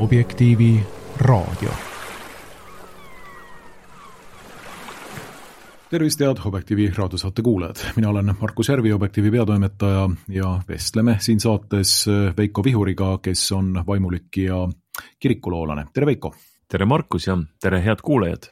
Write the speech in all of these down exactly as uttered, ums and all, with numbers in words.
Objektiivi raadio. Tervist, head Objektiivi raadiosaate kuulajad. Mina olen Markus Järvi, Objektiivi peatoimetaja ja vestleme siin saates Veiko Vihuriga, kes on vaimulik ja kirikuloolane. Tere Veiko! Tere Markus ja tere head kuulajad!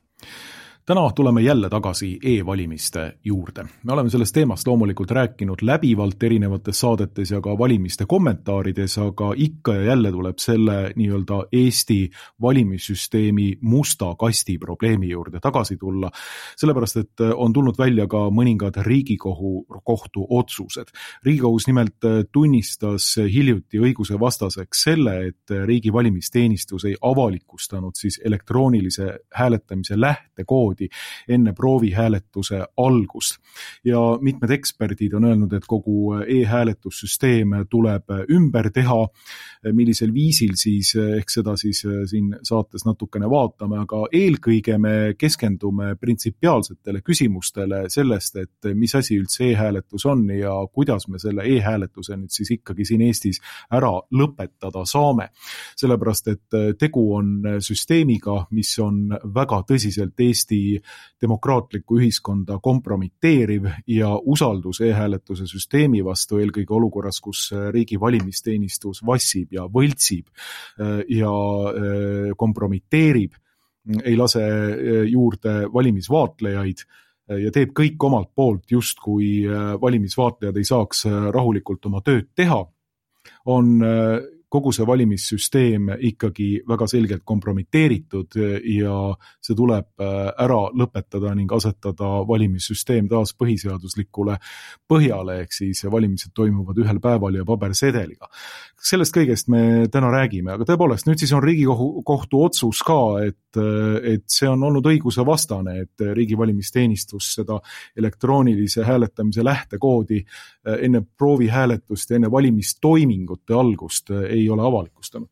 Täna tuleme jälle tagasi e-valimiste juurde. Me oleme sellest teemast loomulikult rääkinud läbivalt erinevates saadetes ja ka valimiste kommentaarides, aga ikka ja jälle tuleb selle nii-öelda Eesti valimissüsteemi musta kasti probleemi juurde tagasi tulla, sellepärast et on tulnud välja ka mõningad Riigikohu kohtu otsused. Riigikohus nimelt tunnistas hiljuti õiguse vastaseks selle, et riigi valimisteenistus ei avalikustanud siis elektroonilise hääletamise lähtekoodi enne proovihääletuse algust. Ja mitmed eksperdid on öelnud, et kogu e-hääletussüsteem tuleb ümber teha, millisel viisil siis, ehk seda siis siin saates natukene vaatame, aga eelkõige me keskendume printsipiaalsetele küsimustele sellest, et mis asi üldse e-hääletus on ja kuidas me selle e-hääletuse nüüd siis ikkagi siin Eestis ära lõpetada saame. Sellepärast, et tegu on süsteemiga, mis on väga tõsiselt Eesti demokraatlikku ühiskonda kompromiteeriv ja usaldus e-hääletuse süsteemi vastu eelkõige olukorras, kus riigi valimisteenistus vassib ja võltsib ja kompromiteerib, ei lase juurde valimisvaatlejaid ja teeb kõik omalt poolt, just kui valimisvaatlejad ei saaks rahulikult oma tööd teha, on kogu see valimissüsteem ikkagi väga selgelt kompromiteeritud ja see tuleb ära lõpetada ning asetada valimissüsteem taas põhiseaduslikule põhjale, ehk siis valimised toimuvad ühel päeval ja pabersedeliga. Sellest kõigest me täna räägime, aga tõepoolest nüüd siis on Riigikohtu otsus ka, et, et see on olnud õiguse vastane, et riigi valimisteenistus seda elektroonilise hääletamise lähtekoodi enne proovihääletust ja enne valimistoimingute algust ei ole avalikustanud.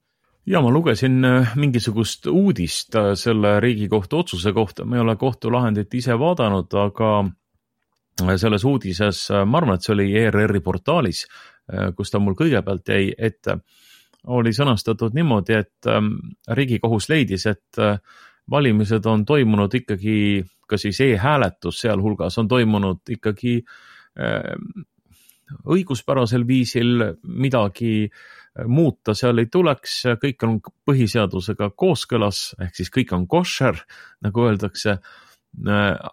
Ja ma lugesin mingisugust uudist selle Riigikohtu otsuse kohta. Ma ei ole kohtulahendit ise vaadanud, aga selles uudises, ma arvan, et see oli E R R-i portaalis, kus ta mul kõigepealt jäi ette, oli sõnastatud niimoodi, et Riigikohus leidis, et valimised on toimunud ikkagi, ka siis e-hääletus sealhulgas on toimunud ikkagi õiguspärasel viisil, midagi muuta seal ei tuleks, kõik on põhiseadusega kooskõlas, ehk siis kõik on košer, nagu öeldakse,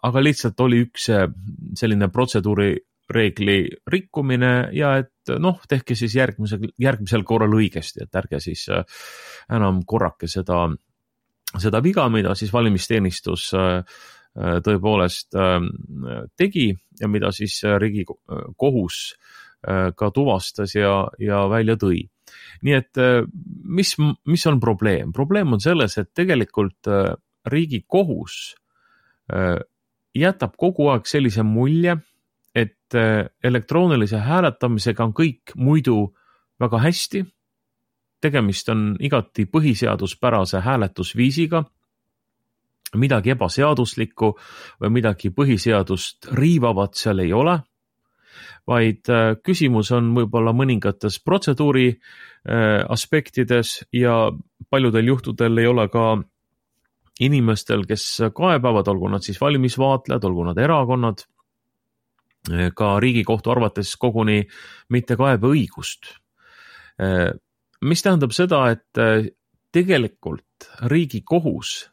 aga lihtsalt oli üks selline protseduuri reegli rikkumine ja et noh, tehke siis järgmisel, järgmisel korral õigesti, et ärge siis enam korrake seda, seda viga, mida siis valimisteenistus tõepoolest tegi ja mida siis Riigikohus ka tuvastas ja, ja välja tõi. Nii et mis, mis on probleem? Probleem on selles, et tegelikult Riigikohus jätab kogu aeg sellise mulje, et elektroonilise hääletamisega on kõik muidu väga hästi. Tegemist on igati põhiseaduspärase hääletusviisiga, midagi ebaseaduslikku või midagi põhiseadust riivavat seal ei ole, vaid küsimus on võib-olla mõningates protseduuri aspektides ja paljudel juhtudel ei ole ka inimestel, kes kaebavad, olgu nad siis valimisvaatlejad, olgu nad erakonnad, ka Riigikohtu arvates koguni mitte kaebeõigust. Mis tähendab seda, et tegelikult Riigikohus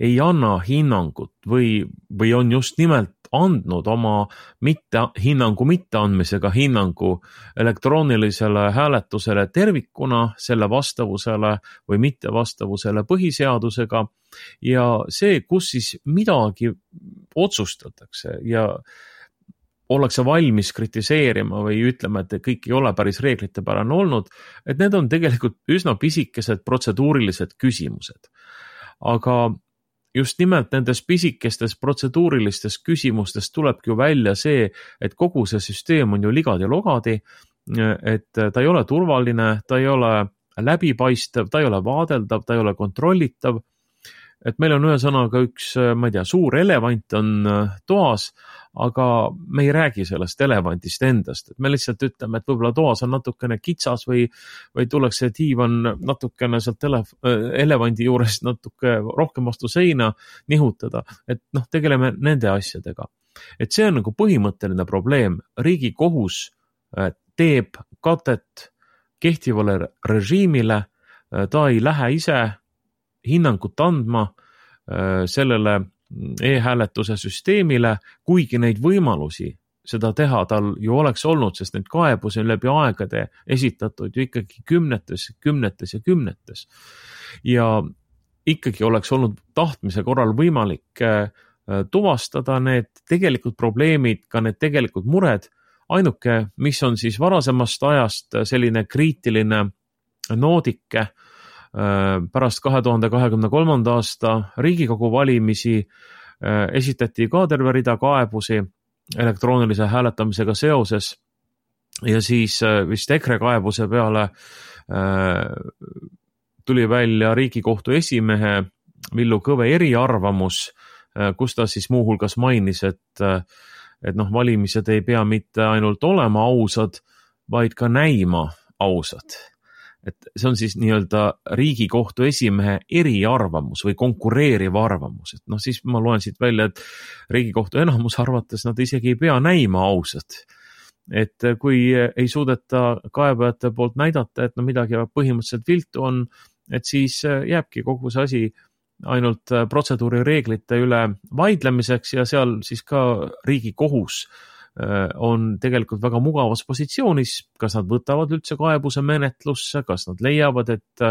ei anna hinnangut või, või on just nimelt andnud oma mitte, hinnangu mitteandmisega hinnangu elektroonilisele hääletusele tervikuna, selle vastavusele või mittevastavusele põhiseadusega ja see, kus siis midagi otsustatakse ja ollakse valmis kritiseerima või ütlema, et kõik ei ole päris reeglitepärane olnud, et need on tegelikult üsna pisikesed protseduurilised küsimused. Aga just nimelt nendes pisikestes protseduurilistes küsimustes tulebki ju välja see, et kogu see süsteem on ju ligadi logadi, et ta ei ole turvaline, ta ei ole läbipaistev, ta ei ole vaadeldav, ta ei ole kontrollitav et meil on ühesõnaga üks, ma ei tea, suur elevant on toas, aga me ei räägi sellest elevantist endast, et me lihtsalt ütleme, et võib-olla toas on natukene kitsas või, või tuleks see diivan natukene sealt ele, elevandi juurest natuke rohkem vastu seina nihutada, et noh, tegeleme nende asjadega. Et see on nagu põhimõtteline probleem. Riigikohus teeb katet kehtivale režiimile, ta ei lähe ise hinnangut andma sellele e-hääletuse süsteemile, kuigi neid võimalusi seda teha tal ju oleks olnud, sest need kaebusi on läbi aegade esitatud ju ikkagi kümnetes, kümnetes ja kümnetes. Ja ikkagi oleks olnud tahtmise korral võimalik tuvastada need tegelikult probleemid, ka need tegelikult mured. Ainuke, mis on siis varasemast ajast selline kriitiline noodike, pärast kahe tuhande kahekümne kolmanda aasta Riigikogu valimisi esitati ka terve rida kaebusi elektroonilise hääletamisega seoses ja siis vist EKRE kaebuse peale tuli välja Riigikohtu esimehe Villu Kõve eriarvamus, kus ta siis muuhulgas mainis, et, et noh, valimised ei pea mitte ainult olema ausad, vaid ka näima ausad. Et see on siis nii-öelda Riigikohtu esimehe eriarvamus või konkureeriv arvamus. Et noh, siis ma loen siit välja, et Riigikohtu enamus arvates nad isegi ei pea näima ausad. Et kui ei suudeta kaebajate poolt näidata, et no midagi põhimõtteliselt viltu on, et siis jääbki kogu see asi ainult protseduurireeglite üle vaidlemiseks ja seal siis ka Riigikohus on tegelikult väga mugavas positsioonis, kas nad võtavad üldse kaebuse menetlusse, kas nad leiavad, et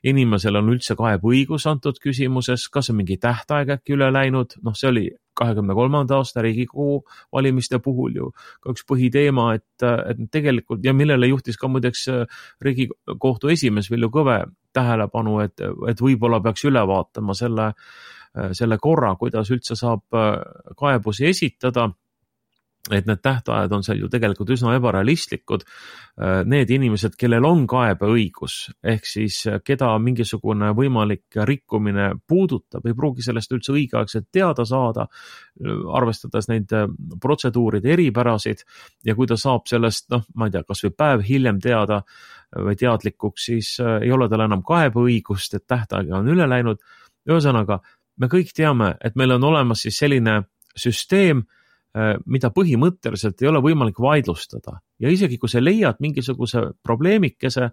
inimesel on üldse kaebõigus antud küsimuses, kas on mingi tähtaeg äkki üle läinud, noh see oli kahekümne kolmanda aasta Riigikogu valimiste puhul ju ka üks põhiteema, et, et tegelikult ja millele juhtis ka muideks Riigikohtu esimees Villu Kõve tähelepanu, et, et võib-olla peaks üle vaatama selle, selle korra, kuidas üldse saab kaebusi esitada, et need tähtajad on seal ju tegelikult üsna ebarealistlikud. Need inimesed, kellel on kaebeõigus, ehk siis keda mingisugune võimalik rikkumine puudutab, ei pruugi sellest üldse õigeaegselt teada saada, arvestades neid protseduuride eripärasid ja kui ta saab sellest, noh, ma ei tea, kas või päev hiljem teada või teadlikuks, siis ei ole tal enam kaebeõigust, et tähtaeg on üle läinud. Ühesõnaga, me kõik teame, et meil on olemas siis selline süsteem, mida põhimõtteliselt ei ole võimalik vaidlustada. Ja isegi kui sa leiad mingisuguse probleemikese,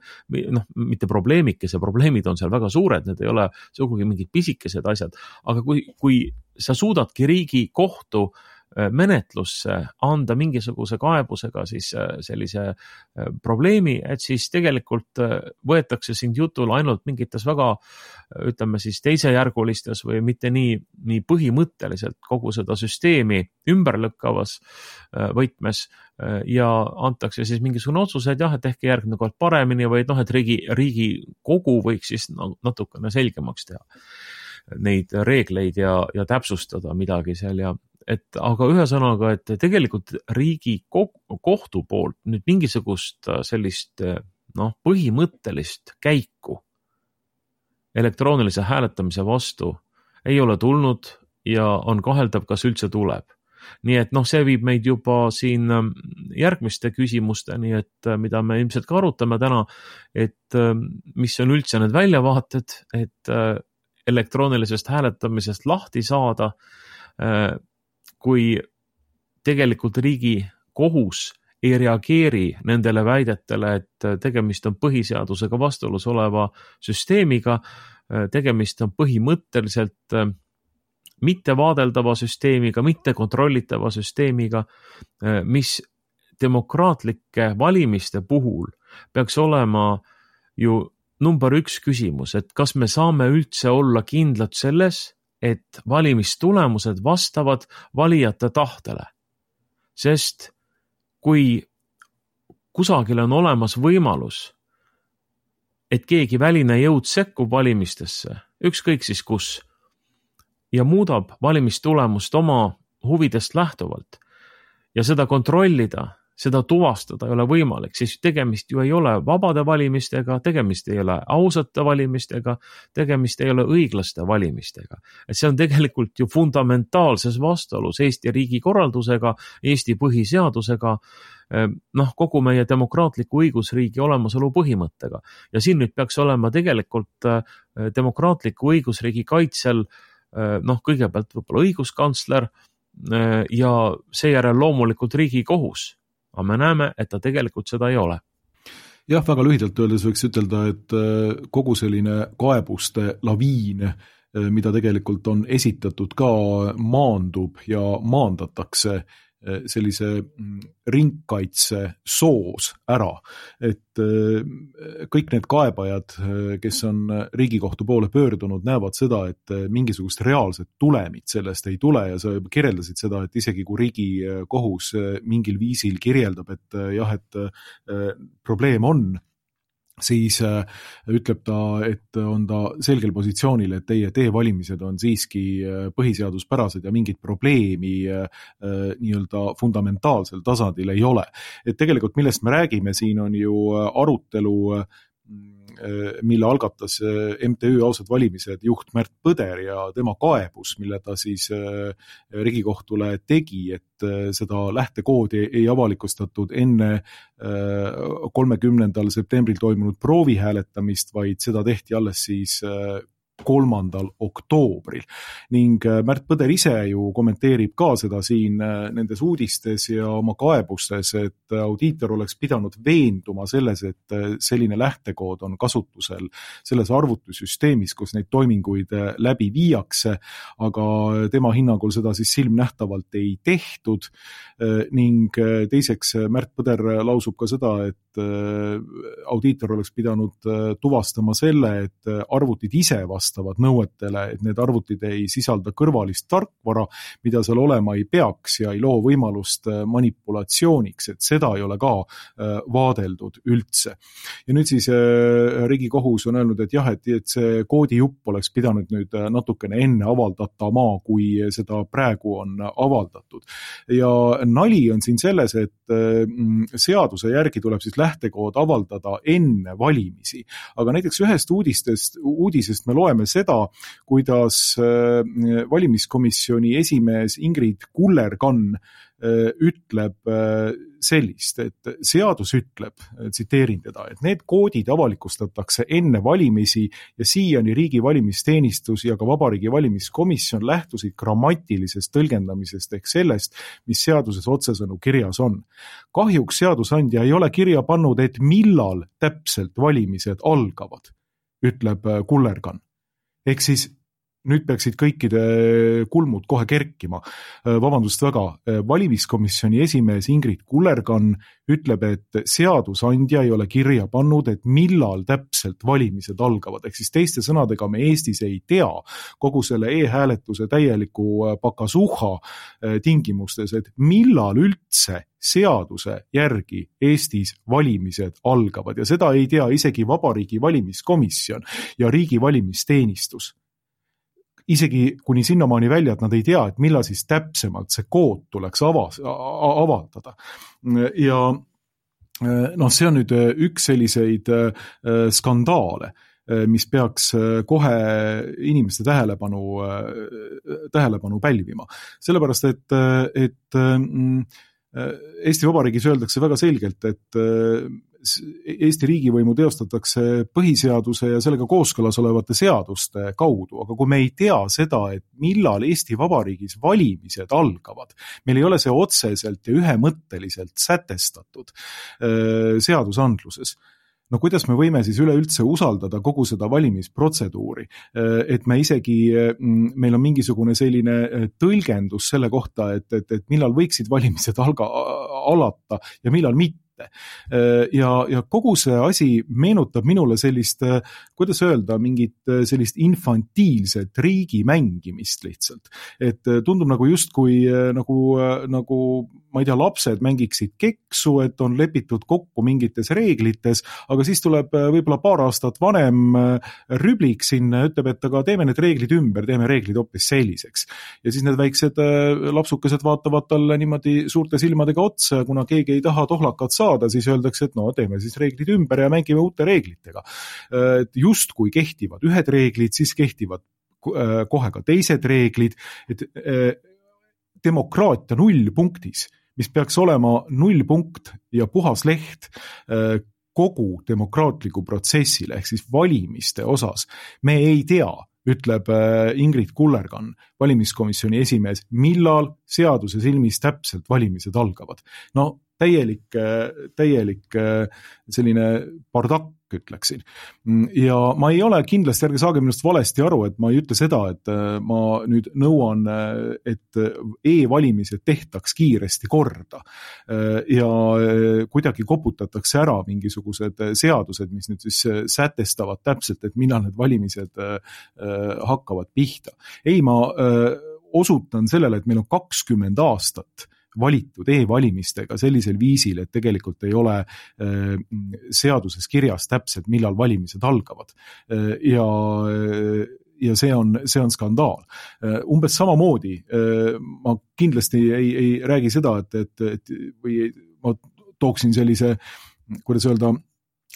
noh, mitte probleemikese, probleemid on seal väga suured, need ei ole sugugi mingid pisikesed asjad, aga kui, kui sa suudadki Riigikohtu menetlusse anda mingisuguse kaebusega siis sellise probleemi, et siis tegelikult võetakse sind jutule ainult mingites väga, ütleme siis teisejärgulistes või mitte nii, nii põhimõtteliselt kogu seda süsteemi ümberlõkkavas võtmes ja antakse siis mingisugune otsus, et jah, et ehk järgmine kord paremini või noh, et riigi, Riigikogu võiks siis natukene selgemaks teha neid reegleid ja, ja täpsustada midagi seal ja et aga ühesõnaga, et tegelikult Riigikohtu poolt nüüd mingisugust sellist noh, põhimõttelist käiku elektroonilise hääletamise vastu ei ole tulnud ja on kaheldav, kas üldse tuleb. Nii et noh, see viib meid juba siin järgmiste küsimusteni, et mida me ilmselt ka arutame täna, et mis on üldse need väljavaated, et elektroonilisest hääletamisest lahti saada, kui tegelikult Riigikohus ei reageeri nendele väidetele, et tegemist on põhiseadusega vastuolus oleva süsteemiga, tegemist on põhimõtteliselt mitte vaadeldava süsteemiga, mitte kontrollitava süsteemiga, mis demokraatlike valimiste puhul peaks olema ju number üks küsimus, et kas me saame üldse olla kindlad selles, et valimistulemused vastavad valijate tahtele. Sest kui kusagil on olemas võimalus, et keegi väline jõud sekkub valimistesse, ükskõik siis kus, ja muudab valimistulemust oma huvidest lähtuvalt ja seda kontrollida, seda tuvastada ei ole võimalik, siis tegemist ju ei ole vabade valimistega, tegemist ei ole ausate valimistega, tegemist ei ole õiglaste valimistega. Et see on tegelikult ju fundamentaalses vastuolus Eesti riigi korraldusega, Eesti põhiseadusega, noh, kogu meie demokraatliku õigusriigi olemasolu põhimõttega. Ja siin nüüd peaks olema tegelikult demokraatliku õigusriigi kaitsel, noh, kõigepealt võib-olla õiguskantsler ja seejärel loomulikult Riigikohus. Aga me näeme, et ta tegelikult seda ei ole. Jah, väga lühidalt öeldes võiks ütelda, et kogu selline kaebuste laviin, mida tegelikult on esitatud ka, maandub ja maandatakse sellise ringkaitse soos ära, et kõik need kaebajad, kes on Riigikohtu poole pöördunud, näevad seda, et mingisugust reaalset tulemit sellest ei tule ja sa kirjeldasid seda, et isegi kui Riigikohus mingil viisil kirjeldab, et jah, et probleem on, siis ütleb ta, et on ta selgel positsioonil, et teie teevalimised on siiski põhiseaduspärased ja mingit probleemi nii-öelda fundamentaalsel tasandil ei ole. Et tegelikult millest me räägime, siin on ju arutelu, mille algatas M T Ü Ausad valimised juht Märt Põder ja tema kaebus, mille ta siis Riigikohtule tegi, et seda lähtekoodi ei avalikustatud enne kolmekümnendal septembril toimunud proovihääletamist, vaid seda tehti alles siis kolmandal oktoobril. Ning Märt Põder ise ju kommenteerib ka seda siin nendes uudistes ja oma kaebustes, et audiitor oleks pidanud veenduma selles, et selline lähtekood on kasutusel selles arvutussüsteemis, kus neid toiminguid läbi viiakse, aga tema hinnangul seda siis silmnähtavalt ei tehtud ning teiseks Märt Põder lausub ka seda, et audiitor oleks pidanud tuvastama selle, et arvutid ise vastavad nõuetele, et need arvutid ei sisalda kõrvalist tarkvara, mida seal olema ei peaks ja ei loo võimalust manipulatsiooniks, et seda ei ole ka vaadeldud üldse. Ja nüüd siis Riigikohus on öelnud, et jah, et, et see koodijupp oleks pidanud nüüd natukene enne avaldatama, kui seda praegu on avaldatud. Ja nali on siin selles, et seaduse järgi tuleb siis lähtekood avaldada enne valimisi. Aga näiteks ühest uudistest, uudisest me loeme seda, kuidas valimiskomisjoni esimees Ingrid Kullerkann ütleb sellist, et seadus ütleb, tsiteerin teda, et need koodid avalikustatakse enne valimisi ja siiani riigi valimisteenistus ja ka Vabariigi valimiskomisjon lähtusid grammatilisest tõlgendamisest ehk sellest, mis seaduses otsesõnu kirjas on. Kahjuks seadusandja ei ole kirja pannud, et millal täpselt valimised algavad, ütleb Kullerkann. Ehk siis nüüd peaksid kõikide kulmud kohe kerkima. Vabandust väga, valimiskomisjoni esimees Ingrid Kullerkann ütleb, et seadusandja ei ole kirja pannud, et millal täpselt valimised algavad. Ehk siis teiste sõnadega me Eestis ei tea kogu selle e-hääletuse täieliku pakasuha tingimustes, et millal üldse seaduse järgi Eestis valimised algavad ja seda ei tea isegi Vabariigi valimiskomisjon ja riigi valimisteenistus. Isegi kuni sinnamaani välja, et nad ei tea, et millal siis täpsemalt see kood tuleks avas, avaldada. Ja noh, see on nüüd üks selliseid skandaale, mis peaks kohe inimeste tähelepanu, tähelepanu pälvima. Sellepärast, et, et Eesti Vabariigis öeldakse väga selgelt, et Eesti riigivõimu teostatakse põhiseaduse ja sellega kooskõlas olevate seaduste kaudu, aga kui me ei tea seda, et millal Eesti Vabariigis valimised algavad, meil ei ole see otseselt ja ühemõtteliselt sätestatud seadusandluses. No kuidas me võime siis üleüldse usaldada kogu seda valimisprotseduuri, et me isegi, meil on mingisugune selline tõlgendus selle kohta, et, et, et millal võiksid valimised alga, alata ja millal mitte. mitte. Ja, ja kogu see asi meenutab minule sellist, kuidas öelda, mingit sellist infantiilset riigi mängimist lihtsalt. Et tundub nagu justkui nagu, nagu ma ei tea, lapsed mängiksid keksu, et on lepitud kokku mingites reeglites, aga siis tuleb võib-olla paar aastat vanem rüblik sinna, ütleb, et aga teeme need reeglid ümber, teeme reeglid hoopis selliseks. Ja siis need väiksed lapsukesed vaatavad talle niimoodi suurte silmadega otsa, kuna keegi ei taha tohlakat saada, siis öeldakse, et no teeme siis reeglid ümber ja mängime uute reeglitega. Just kui kehtivad ühed reeglid, siis kehtivad kohe ka teised reeglid, et demokraatia nullpunktis, mis peaks olema nullpunkt ja puhas leht kogu demokraatliku protsessile ehk siis valimiste osas. Me ei tea, ütleb Ingrid Kullergan, valimiskomisjoni esimees, millal seaduse silmis täpselt valimised algavad. No täielik, täielik selline bardakk, ütleksin. Ja ma ei ole kindlasti, ärge saage minust valesti aru, et ma ei ütle seda, et ma nüüd nõuan, et e-valimised tehtaks kiiresti korda ja kuidagi koputatakse ära mingisugused seadused, mis nüüd siis sätestavad täpselt, et millal need valimised hakkavad pihta. Ei, ma osutan sellele, et meil on kakskümmend aastat valitud e-valimistega sellisel viisil, et tegelikult ei ole seaduses kirjas täpselt, millal valimised algavad. Ja, ja see on, see on skandaal. Umbes samamoodi, ma kindlasti ei, ei räägi seda, et, et, et või ma tooksin sellise, kuidas öelda,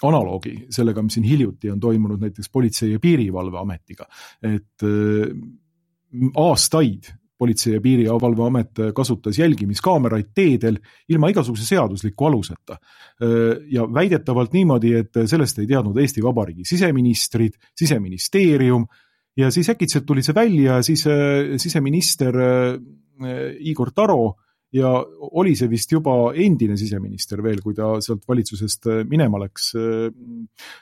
analoogi sellega, mis siin hiljuti on toimunud näiteks Politsei- ja Piirivalveametiga. Et aastaid Politsei- ja Piirivalveamet kasutas jälgimiskaameraid teedel ilma igasuguse seadusliku aluseta. Ja väidetavalt niimoodi, et sellest ei teadnud Eesti Vabariigi siseministrid, siseministeerium ja siis äkitselt tuli see välja ja siis siseminister Igor Taro ja oli see vist juba endine siseminister veel, kui ta sealt valitsusest minema läks,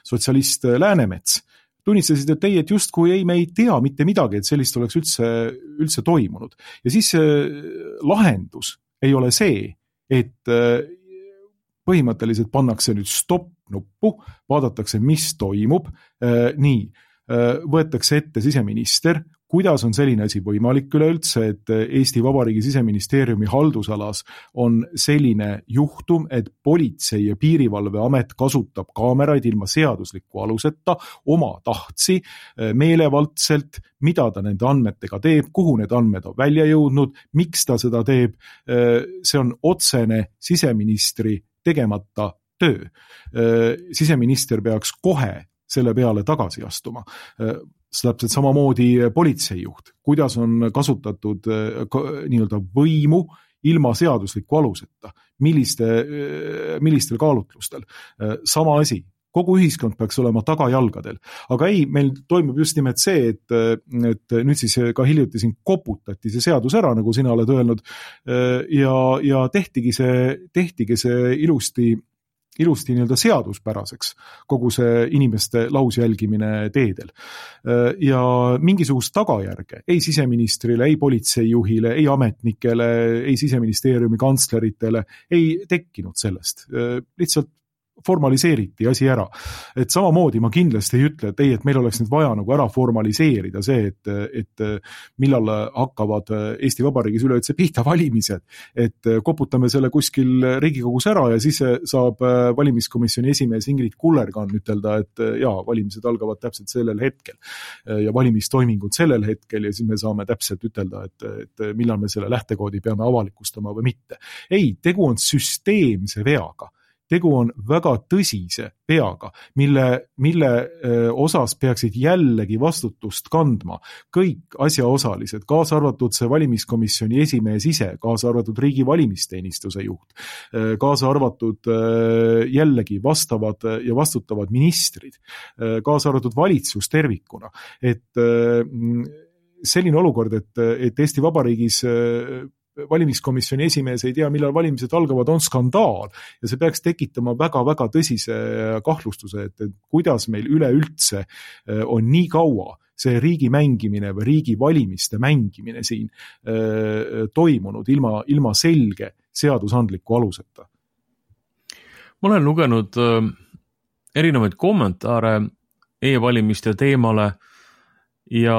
sotsialist Läänemets. Tunnistasid, et ei, et just kui ei, me ei tea mitte midagi, et sellist oleks üldse, üldse toimunud. Ja siis lahendus ei ole see, et põhimõtteliselt pannakse nüüd stopp-nuppu, vaadatakse, mis toimub, nii, võetakse ette siseminister, kuidas on selline asi võimalik üleüldse, et Eesti Vabariigi siseministeeriumi haldusalas on selline juhtum, et Politsei- ja Piirivalveamet kasutab kaameraid ilma seadusliku aluseta, oma tahtsi, meelevaldselt, mida ta nende andmetega teeb, kuhu need andmed on välja jõudnud, miks ta seda teeb, see on otsene siseministri tegemata töö. Siseminister peaks kohe selle peale tagasi astuma. Täpselt samamoodi politseijuht, kuidas on kasutatud nii-öelda võimu ilma seadusliku aluseta, milliste, millistel kaalutlustel. Sama asi, kogu ühiskond peaks olema tagajalgadel. Aga ei, meil toimub just nimelt see, et, et nüüd siis ka hiljuti siin koputati see seadus ära, nagu sina oled öelnud, ja, ja tehtigi see, tehtigi see ilusti ilusti nii-öelda seaduspäraseks kogu see inimeste lausjälgimine teedel. Ja mingisugust tagajärge ei siseministrile, ei politseijuhile, ei ametnikele, ei siseministeeriumi kantsleritele ei tekkinud sellest. Lihtsalt formaliseeriti asi ära. Et samamoodi ma kindlasti ei ütle, et ei, et meil oleks nüüd vaja nagu ära formaliseerida see, et, et millal hakkavad Eesti Vabariigis üleüldse pihta valimised, et koputame selle kuskil Riigikogus ära ja siis saab valimiskomisjoni esimees Ingrid Kullergan ütelda, et jaa, valimised algavad täpselt sellel hetkel ja valimistoimingud sellel hetkel ja siis me saame täpselt ütelda, et, et millal me selle lähtekoodi peame avalikustama või mitte. Ei, tegu on süsteemse veaga. Tegu on väga tõsise veaga, mille, mille osas peaksid jällegi vastutust kandma kõik asjaosalised, kaasa arvatud see valimiskomisjoni esimees ise, kaasa arvatud riigi valimisteenistuse juht, kaasa arvatud jällegi vastavad ja vastutavad ministrid, kaasa arvatud valitsus tervikuna. Et selline olukord, et, et Eesti Vabariigis valimiskomisjoni esimees ei tea, millal valimised algavad, on skandaal ja see peaks tekitama väga-väga tõsise kahtlustuse, et, et kuidas meil üleüldse on nii kaua see riigi mängimine või riigi valimiste mängimine siin äh, toimunud ilma, ilma selge seadusandliku aluseta. ma olen lugenud erinevaid kommentaare e-valimiste teemale ja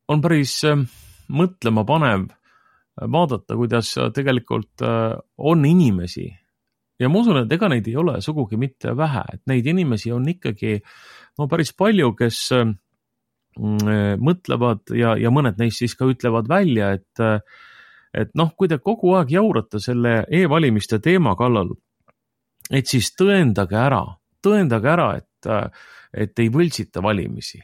on päris mõtlema panev vaadata, kuidas tegelikult on inimesi. Ja ma usun, et ega neid ei ole sugugi mitte vähe, et neid inimesi on ikkagi no, päris palju, kes mõtlevad ja, ja mõned neist siis ka ütlevad välja, et, et noh, kui te kogu aeg jaurate selle e-valimiste teema kallal, et siis tõendage ära, tõendage ära, et, et ei võltsita valimisi.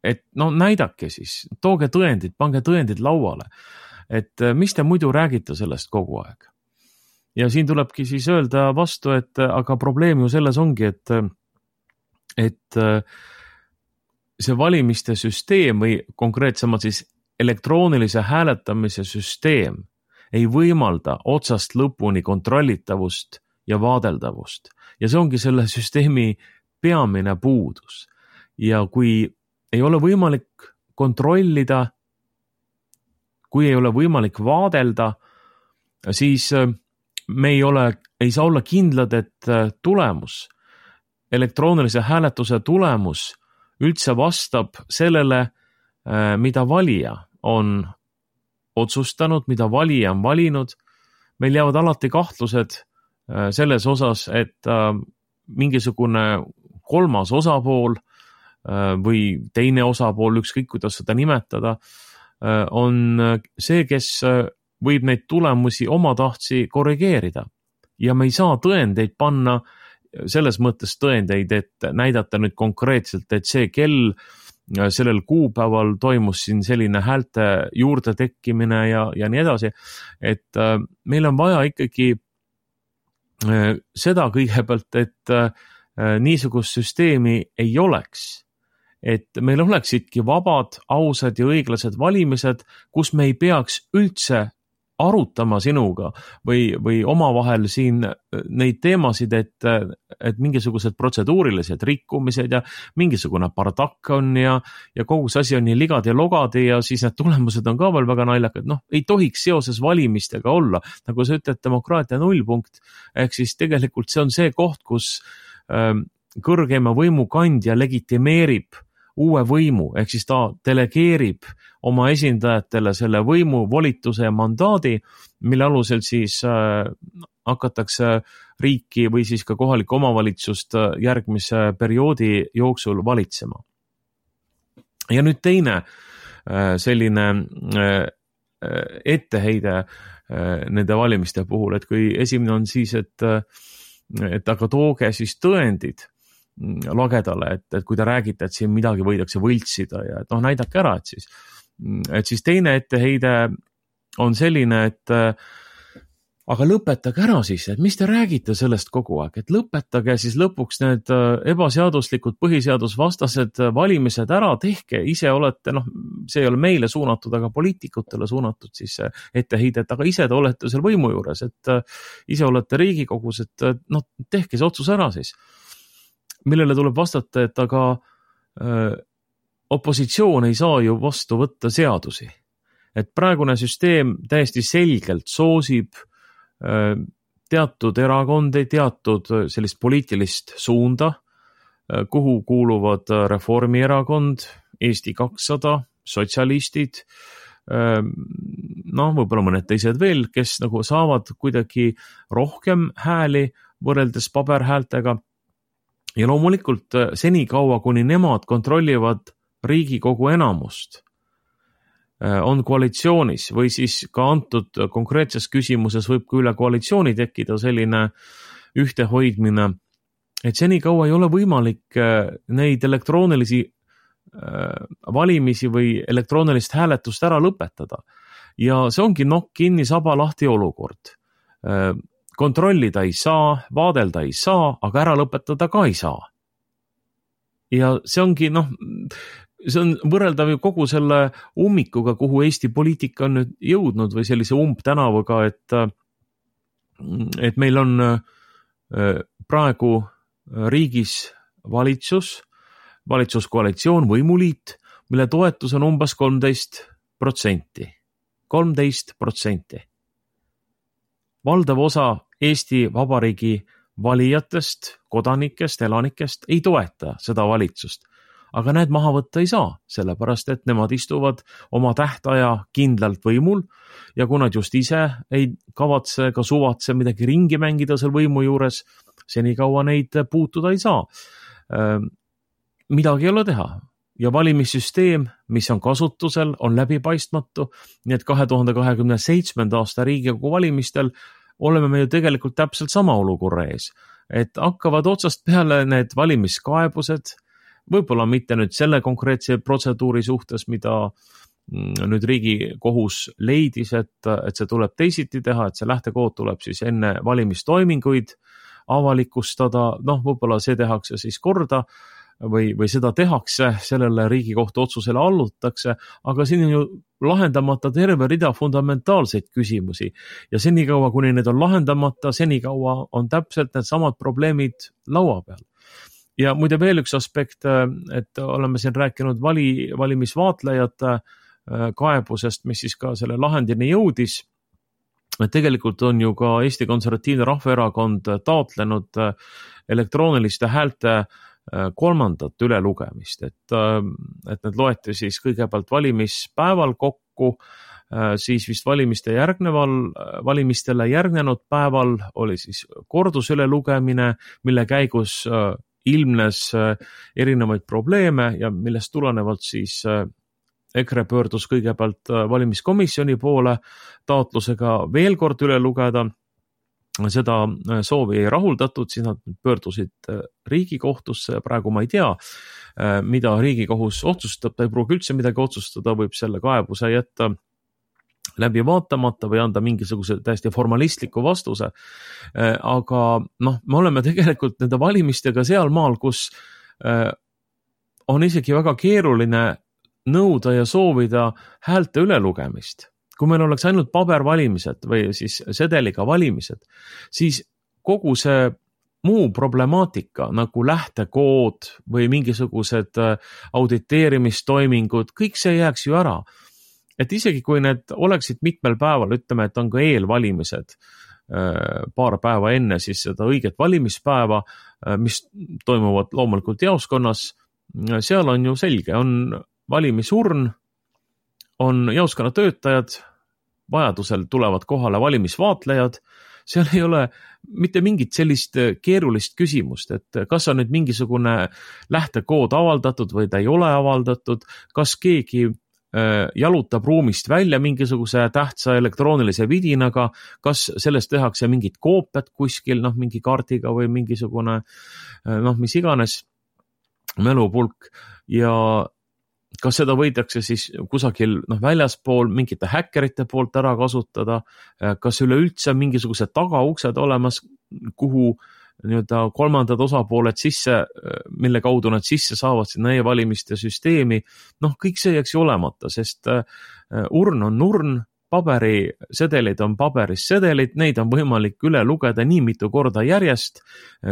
Et no näidake siis, tooge tõendid, pange tõendid lauale, et mis te muidu räägite sellest kogu aeg. Ja siin tulebki siis öelda vastu, et aga probleem ju selles ongi, et, et see valimiste süsteem või konkreetsemalt siis elektroonilise hääletamise süsteem ei võimalda otsast lõpuni kontrollitavust ja vaadeldavust. Ja see ongi selle süsteemi peamine puudus. Ja kui ei ole võimalik kontrollida, kui ei ole võimalik vaadelda, siis me ei ole, ei saa olla kindlad, et tulemus, elektroonilise hääletuse tulemus üldse vastab sellele, mida valija on otsustanud, mida valija on valinud. Meil jäävad alati kahtlused selles osas, et mingisugune kolmas osapool või teine osapool, ükskõik kuidas seda nimetada, on see, kes võib neid tulemusi oma tahtsi korrigeerida. Ja me ei saa tõendeid panna, selles mõttes tõendeid, et näidata nüüd konkreetselt, et see kell sellel kuupäeval toimus siin selline häälte juurde tekkimine ja, ja nii edasi. Et meil on vaja ikkagi seda kõigepealt, et niisugust süsteemi ei oleks. Et meil oleksidki vabad, ausad ja õiglased valimised, kus me ei peaks üldse arutama sinuga või, või omavahel siin neid teemasid, et, et mingisugused protseduurilised rikkumised ja mingisugune bardakk on ja, ja kogu see asi on nii ligad ja logad ja siis need tulemused on ka veel väga naljakad. Noh, ei tohiks seoses valimistega olla, nagu sa ütled, demokraatia nullpunkt, ehk siis tegelikult see on see koht, kus ähm, kõrgema võimukandja legitimeerib uue võimu, ehk siis ta delegeerib oma esindajatele selle võimu, volituse ja mandaadi, mille alusel siis äh, hakatakse riiki või siis ka kohalikku omavalitsust järgmise perioodi jooksul valitsema. Ja nüüd teine äh, selline äh, etteheide äh, nende valimiste puhul, et kui esimene on siis, et, et aga tooge siis tõendid lagedale, et, et kui te räägite, et siin midagi võidakse võltsida ja et noh, näidake ära, et siis, et siis teine etteheide on selline, et aga lõpetage ära siis, et mis te räägite sellest kogu aeg, et lõpetage siis lõpuks need ebaseaduslikud põhiseadusvastased valimised ära, tehke, ise olete, noh, see ei ole meile suunatud, aga poliitikutele suunatud siis etteheide, et aga ise te olete seal võimu juures, et ise olete Riigikogus, et noh, tehke see otsus ära siis. Millele tuleb vastata, et aga öö, opositsioon ei saa ju vastu võtta seadusi. Et praegune süsteem täiesti selgelt soosib öö, teatud erakondi, teatud sellist poliitilist suunda, öö, kuhu kuuluvad Reformierakond, Eesti kakssada, sotsialistid, öö, noh, võib-olla mõned teised veel, kes nagu saavad kuidagi rohkem hääli võrreldes paberhäältega. Ja loomulikult senikaua, kuni nemad kontrollivad Riigikogu enamust, on koalitsioonis või siis ka antud konkreetses küsimuses võib ka üle koalitsiooni tekkida selline ühtehoidmine, et senikaua ei ole võimalik neid elektroonilisi valimisi või elektroonilist hääletust ära lõpetada. Ja see ongi nokk kinni, saba lahti olukord. Kontrollida ei saa, vaadelda ei saa, aga ära lõpetada ka ei saa. Ja see ongi, noh, see on võrreldav ju kogu selle ummikuga, kuhu Eesti poliitika on nüüd jõudnud või sellise umbtänavaga, et, et meil on praegu riigis valitsus, valitsuskoalitsioon, võimuliit, mille toetus on umbes kolmteist protsenti. kolmteist protsenti. Valdav osa Eesti Vabariigi valijatest, kodanikest, elanikest ei toeta seda valitsust. Aga need maha võtta ei saa, sellepärast et nemad istuvad oma tähtaja kindlalt võimul ja kui nad just ise ei kavatse ka suvatse midagi ringi mängida seal võimu juures, senikaua neid puutuda ei saa. Midagi ei ole teha ja valimissüsteem, mis on kasutusel, on läbipaistmatu, nii et kahe tuhande kahekümne seitsmenda aasta Riigikogu valimistel oleme me ju tegelikult täpselt sama olukorra ees, et hakkavad otsast peale need valimiskaebused, võib-olla mitte nüüd selle konkreetse protseduuri suhtes, mida nüüd Riigikohus leidis, et, et see tuleb teisiti teha, et see lähtekood tuleb siis enne valimistoiminguid avalikustada, noh, võib-olla see tehakse siis korda või, või seda tehakse, sellele Riigikohtu otsusele allutakse, aga siin on ju lahendamata terve rida fundamentaalseid küsimusi ja senikaua, kuni need on lahendamata, senikaua on täpselt need samad probleemid laua peal. Ja muide veel üks aspekt, et oleme siin rääkinud vali, valimisvaatlejate kaebusest, mis siis ka selle lahendini jõudis. Tegelikult on ju ka Eesti Konservatiivne Rahvaerakond taotlenud elektrooniliste häälte kolmandat ülelugemist, et, et need loeti siis kõigepealt valimispäeval kokku, siis vist valimiste järgneval, valimistele järgnenud päeval oli siis kordusülelugemine, mille käigus ilmnes erinevaid probleeme ja millest tulenevalt siis EKRE pöördus kõigepealt valimiskomisjoni poole taotlusega veel kord üle lugeda. Seda soovi ei rahuldatud, siis nad pöördusid Riigikohtusse ja praegu ma ei tea, mida Riigikohus otsustab, ta ei pruugi üldse midagi otsustada, võib selle kaebuse jätta läbi vaatamata või anda mingisuguse täiesti formalistliku vastuse. Aga noh, me oleme tegelikult nende valimistega seal maal, kus on isegi väga keeruline nõuda ja soovida häälte ülelugemist. Kui meil oleks ainult pabervalimised või siis sedeliga valimised, siis kogu see muu problemaatika nagu lähtekood või mingisugused auditeerimistoimingud, kõik see jääks ju ära. Et isegi kui need oleksid mitmel päeval, ütleme, et on ka eelvalimised paar päeva enne siis seda õiget valimispäeva, mis toimuvad loomulikult jaoskonnas, seal on ju selge, on valimisurn, on jaoskonna töötajad, vajadusel tulevad kohale valimisvaatlejad, seal ei ole mitte mingit sellist keerulist küsimust, et kas on nüüd mingisugune lähtekood avaldatud või ta ei ole avaldatud, kas keegi jalutab ruumist välja mingisuguse tähtsa elektroonilise vidinaga, kas sellest tehakse mingit koopiat kuskil, noh, mingi kaardiga või mingisugune, noh, mis iganes mälupulk ja kas seda võidakse siis kusagil noh, väljaspool mingite häkkerite poolt ära kasutada, kas üleüldse mingisugused tagauksed olemas, kuhu nii-öelda kolmandad osapooled sisse, mille kaudu nad sisse saavad sinna e-valimiste süsteemi, noh, kõik see jääks ju olemata, sest urn on urn, paberisedelid on paberis sedelid, neid on võimalik üle lugeda nii mitu korda järjest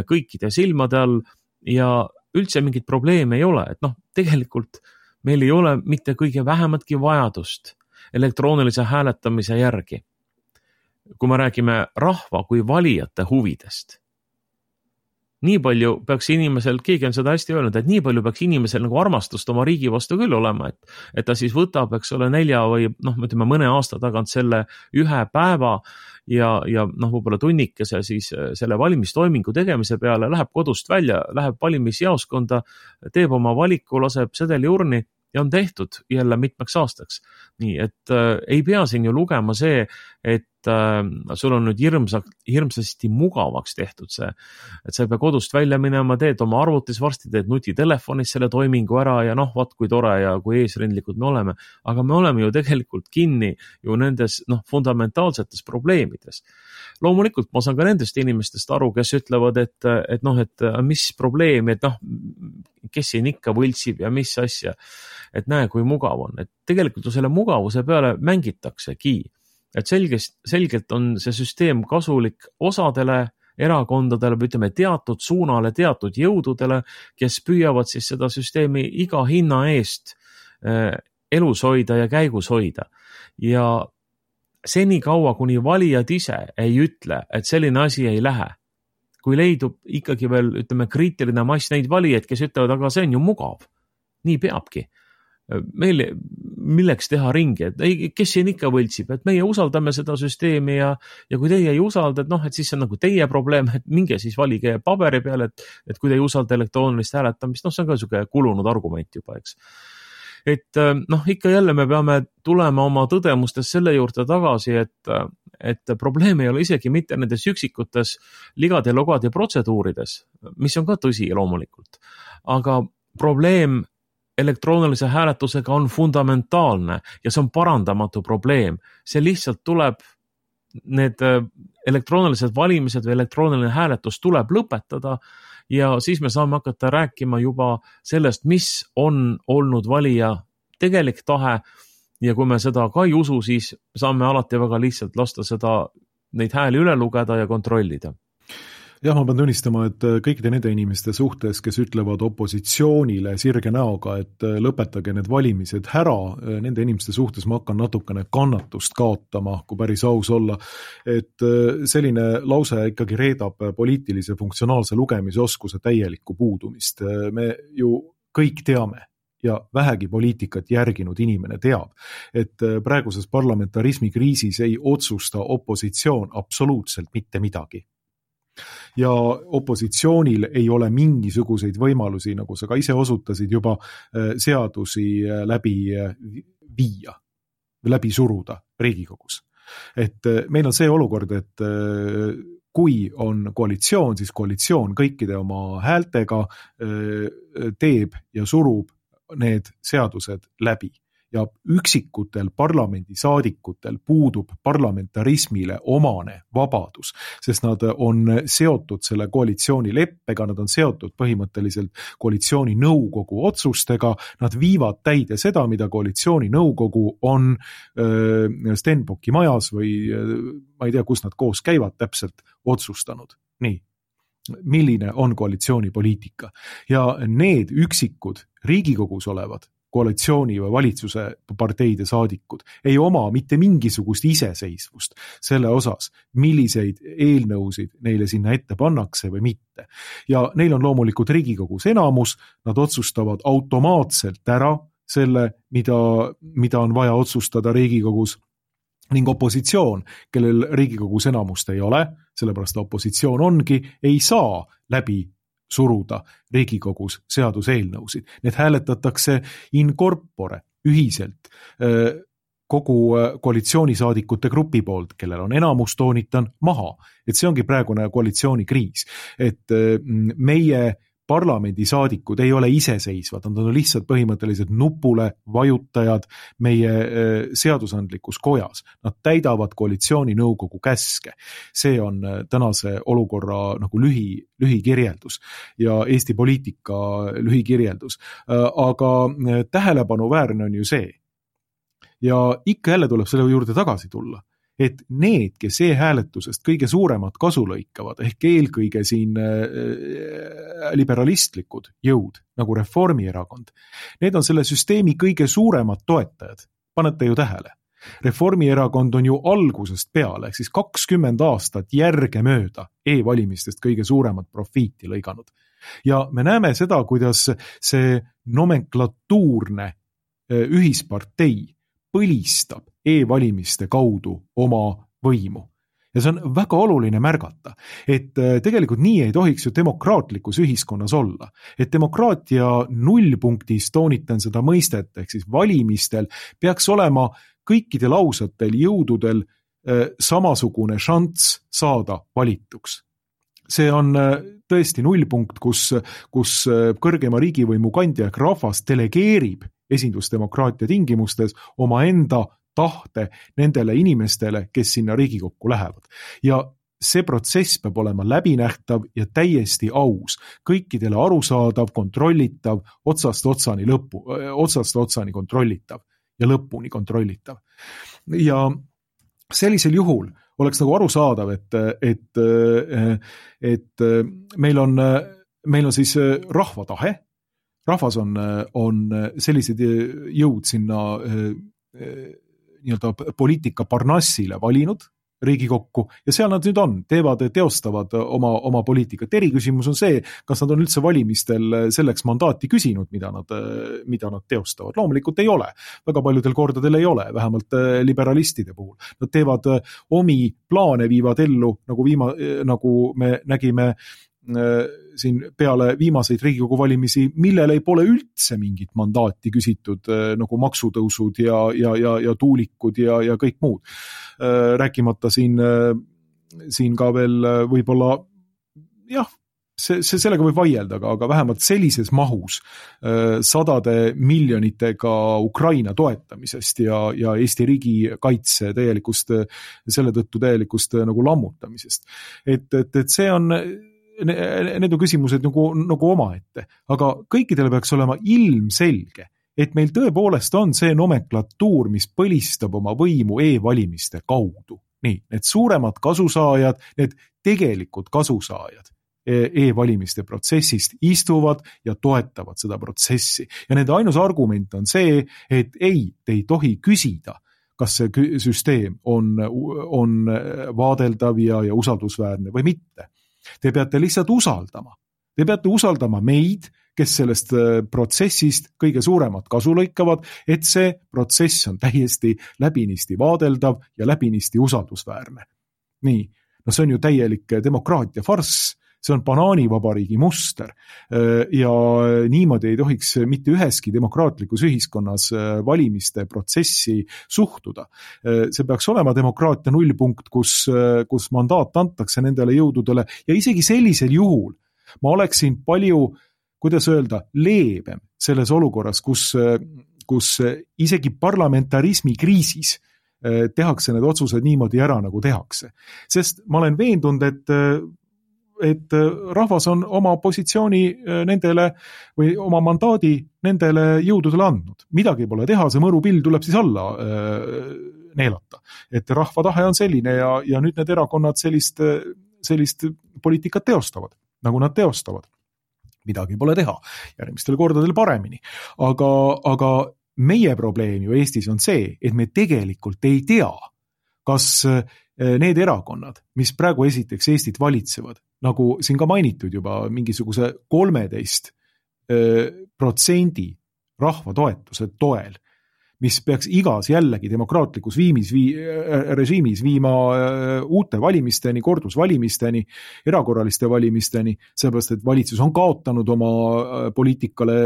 kõikide silmade all ja üldse mingit probleemi ei ole, et noh, tegelikult meil ei ole mitte kõige vähematki vajadust elektroonilise hääletamise järgi. Kui me räägime rahva kui valijate huvidest, nii palju peaks inimesel, keegi on seda hästi öelnud, et nii palju peaks inimesel nagu armastust oma riigi vastu küll olema, et, et ta siis võtab, eks ole, nelja või noh, ütleme mõne aasta tagant selle ühe päeva ja, ja noh, võib-olla tunnikese siis selle valimistoimingu tegemise peale, läheb kodust välja, läheb valimisjaoskonda, teeb oma valiku, laseb sedeli urni ja on tehtud jälle mitmeks aastaks. Nii, et äh, ei pea siin ju lugema see, et äh, sul on nüüd hirmsa, hirmsasti mugavaks tehtud see, et sa ei pea kodust välja minema, teed oma arvutis, varsti teed nutitelefonis selle toimingu ära ja noh, vaat kui tore ja kui eesrindlikud me oleme. Aga me oleme ju tegelikult kinni ju nendes noh, fundamentaalsetes probleemides. Loomulikult ma saan ka nendest inimestest aru, kes ütlevad, et, et noh, et mis probleem, et noh, kes siin ikka võltsib ja mis asja, et näe, kui mugav on. Et tegelikult ju selle mugavuse peale mängitaksegi, et selgelt, selgelt on see süsteem kasulik osadele erakondadele või ütleme teatud suunale, teatud jõududele, kes püüavad siis seda süsteemi iga hinna eest elus hoida ja käigus hoida. Ja seni kaua, kuni valijad ise ei ütle, et selline asi ei lähe, kui leidub ikkagi veel, ütleme, kriitiline mass neid valijaid, kes ütlevad, aga see on ju mugav. Nii peabki. Meil, milleks teha ringi, et ei, kes siin ikka võltsib, et meie usaldame seda süsteemi ja, ja kui teie ei usalda, et noh, et siis see on nagu teie probleem, et minge siis valige paberi peale, et, et kui te ei usalda elektroonilist hääletamist, noh, see on ka niisugune kulunud argument juba, eks. Et noh, ikka jälle me peame tulema oma tõdemustes selle juurde tagasi, et, et probleem ei ole isegi mitte nendes üksikutes ligade, logade protseduurides, mis on ka tõsi loomulikult, aga probleem elektroonilise hääletusega on fundamentaalne ja see on parandamatu probleem. See lihtsalt tuleb, need elektroonilised valimised või elektrooniline hääletus tuleb lõpetada ja siis me saame hakata rääkima juba sellest, mis on olnud valija tegelik tahe ja kui me seda ka ei usu, siis saame alati väga lihtsalt lasta seda, neid hääli üle lugeda ja kontrollida. Jah, ma pean tunnistama, et kõikide nende inimeste suhtes, kes ütlevad opositsioonile sirge näoga, et lõpetage need valimised ära, nende inimeste suhtes ma hakkan natukene kannatust kaotama, kui päris aus olla. Et selline lause ikkagi reedab poliitilise funktsionaalse lugemisoskuse täielikku puudumist. Me ju kõik teame ja vähegi poliitikat järginud inimene teab, et praeguses parlamentarismi kriisis ei otsusta opositsioon absoluutselt mitte midagi. Ja opositsioonil ei ole mingisuguseid võimalusi, nagu sa ka ise osutasid, juba seadusi läbi viia, läbi suruda Riigikogus. Et meil on see olukord, et kui on koalitsioon, siis koalitsioon kõikide oma häältega teeb ja surub need seadused läbi. Ja üksikutel parlamendisaadikutel puudub parlamentarismile omane vabadus, sest nad on seotud selle koalitsiooni leppega, nad on seotud põhimõtteliselt koalitsiooni nõukogu otsustega, nad viivad täide seda, mida koalitsiooni nõukogu on Stenbocki majas või ma ei tea, kus nad koos käivad täpselt otsustanud. Nii. Milline on koalitsiooni poliitika? Ja need üksikud Riigikogus olevad koalitsiooni või valitsuse parteide saadikud ei oma mitte mingisugust iseseisvust selle osas, milliseid eelnõusid neile sinna ette pannakse või mitte. Ja neil on loomulikult Riigikogus enamus, nad otsustavad automaatselt ära selle, mida, mida on vaja otsustada Riigikogus, ning opositsioon, kellel Riigikogus enamust ei ole, sellepärast opositsioon ongi, ei saa läbi suruda Riigikogus seaduseelnõusid. Need hääletatakse in corpore, ühiselt, kogu koalitsioonisaadikute grupi poolt, kellel on enamus, toonitan maha. Et see ongi praegune koalitsioonikriis. Et meie parlamendisaadikud ei ole iseseisvad, nad on lihtsalt põhimõtteliselt nupule vajutajad meie seadusandlikus kojas. Nad täidavad koalitsiooni nõukogu käske. See on tänase olukorra nagu lühi, lühikirjeldus ja Eesti poliitika lühikirjeldus. Aga tähelepanuväärne on ju see. Ja ikka jälle tuleb selle juurde tagasi tulla. Et need, kes e-hääletusest kõige suuremat kasu lõikavad, ehk eelkõige siin liberalistlikud jõud, nagu Reformierakond, need on selle süsteemi kõige suuremad toetajad. Panete ju tähele. Reformierakond on ju algusest peale, ehk siis kakskümmend aastat järge mööda e-valimistest kõige suuremat profiiti lõiganud. Ja me näeme seda, kuidas see nomenklatuurne ühispartei põlistab e-valimiste kaudu oma võimu. Ja see on väga oluline märgata, et tegelikult nii ei tohiks ju demokraatlikus ühiskonnas olla. Et demokraatia nullpunktis, toonitan seda mõistet, ehk siis valimistel peaks olema kõikidel ausatel jõududel samasugune šanss saada valituks. See on tõesti nullpunkt, kus, kus kõrgema riigivõimu kandja ehk rahvas delegeerib esindusdemokraatia tingimustes oma enda tahte nendele inimestele, kes sinna Riigikokku lähevad. Ja see protsess peab olema läbinähtav ja täiesti aus, kõikidele arusaadav, kontrollitav, otsast otsani lõppu, otsast otsani kontrollitav ja lõpuni kontrollitav. Ja sellisel juhul oleks nagu arusaadav, et, et, et meil on, meil on siis rahva tahe, rahvas on, on sellised jõud sinna nii-öelda poliitika parnassile valinud Riigikokku ja seal nad nüüd on, teevad, teostavad oma, oma poliitikat. Eriküsimus on see, kas nad on üldse valimistel selleks mandaati küsinud, mida nad, mida nad teostavad. Loomulikult ei ole. Väga paljudel kordadel ei ole, vähemalt liberalistide puhul. Nad teevad omi plaane, viivad ellu, nagu, viima, nagu me nägime siin peale viimaseid Riigikogu valimisi, millele ei pole üldse mingit mandaati küsitud, nagu maksutõusud ja, ja, ja, ja tuulikud ja, ja kõik muud. Rääkimata siin, siin ka veel võib-olla, jah, see, see sellega võib vaielda, aga, aga vähemalt sellises mahus sadade miljonitega Ukraina toetamisest ja, ja Eesti riigi kaitse täielikust, selle tõttu täielikust nagu lammutamisest. Et, et, et see on need on küsimused nagu, nagu omaette, aga kõikidele peaks olema ilmselge, et meil tõepoolest on see nomenklatuur, mis põlistab oma võimu e-valimiste kaudu. Nii, need suuremad kasusaajad, need tegelikult kasusaajad e-valimiste protsessist istuvad ja toetavad seda protsessi. Ja nende ainus argument on see, et ei, te ei tohi küsida, kas see süsteem on, on vaadeldav ja, ja usaldusväärne või mitte. Te peate lihtsalt usaldama. Te peate usaldama meid, kes sellest protsessist kõige suuremat kasu lõikavad, et see protsess on täiesti läbinisti vaadeldav ja läbinisti usaldusväärne. Nii, no see on ju täielik demokraatia farss, see on banaanivabariigi muster ja niimoodi ei tohiks mitte üheski demokraatlikus ühiskonnas valimiste protsessi suhtuda. See peaks olema demokraatia nullpunkt, kus, kus mandaat antakse nendele jõududele ja isegi sellisel juhul ma oleksin palju, kuidas öelda, leebem selles olukorras, kus, kus isegi parlamentarismi kriisis tehakse need otsused niimoodi ära, nagu tehakse. Sest ma olen veendunud, et et rahvas on oma positsiooni nendele või oma mandaadi nendele jõududele andnud. Midagi pole teha, see mõrupill tuleb siis alla neelata. Et rahva tahe on selline ja, ja nüüd need erakonnad sellist, sellist poliitikat teostavad, nagu nad teostavad. Midagi pole teha, järgmistel kordadel paremini. Aga, aga meie probleem ju Eestis on see, et me tegelikult ei tea, kas need erakonnad, mis praegu esiteks Eestit valitsevad, nagu siin ka mainitud juba mingisuguse kolmeteist protsendi rahva toetuse toel, mis peaks igas jällegi demokraatlikus viimis, vii, režiimis viima uute valimisteni, kordusvalimisteni, erakorraliste valimisteni, sellepärast, et valitsus on kaotanud oma poliitikale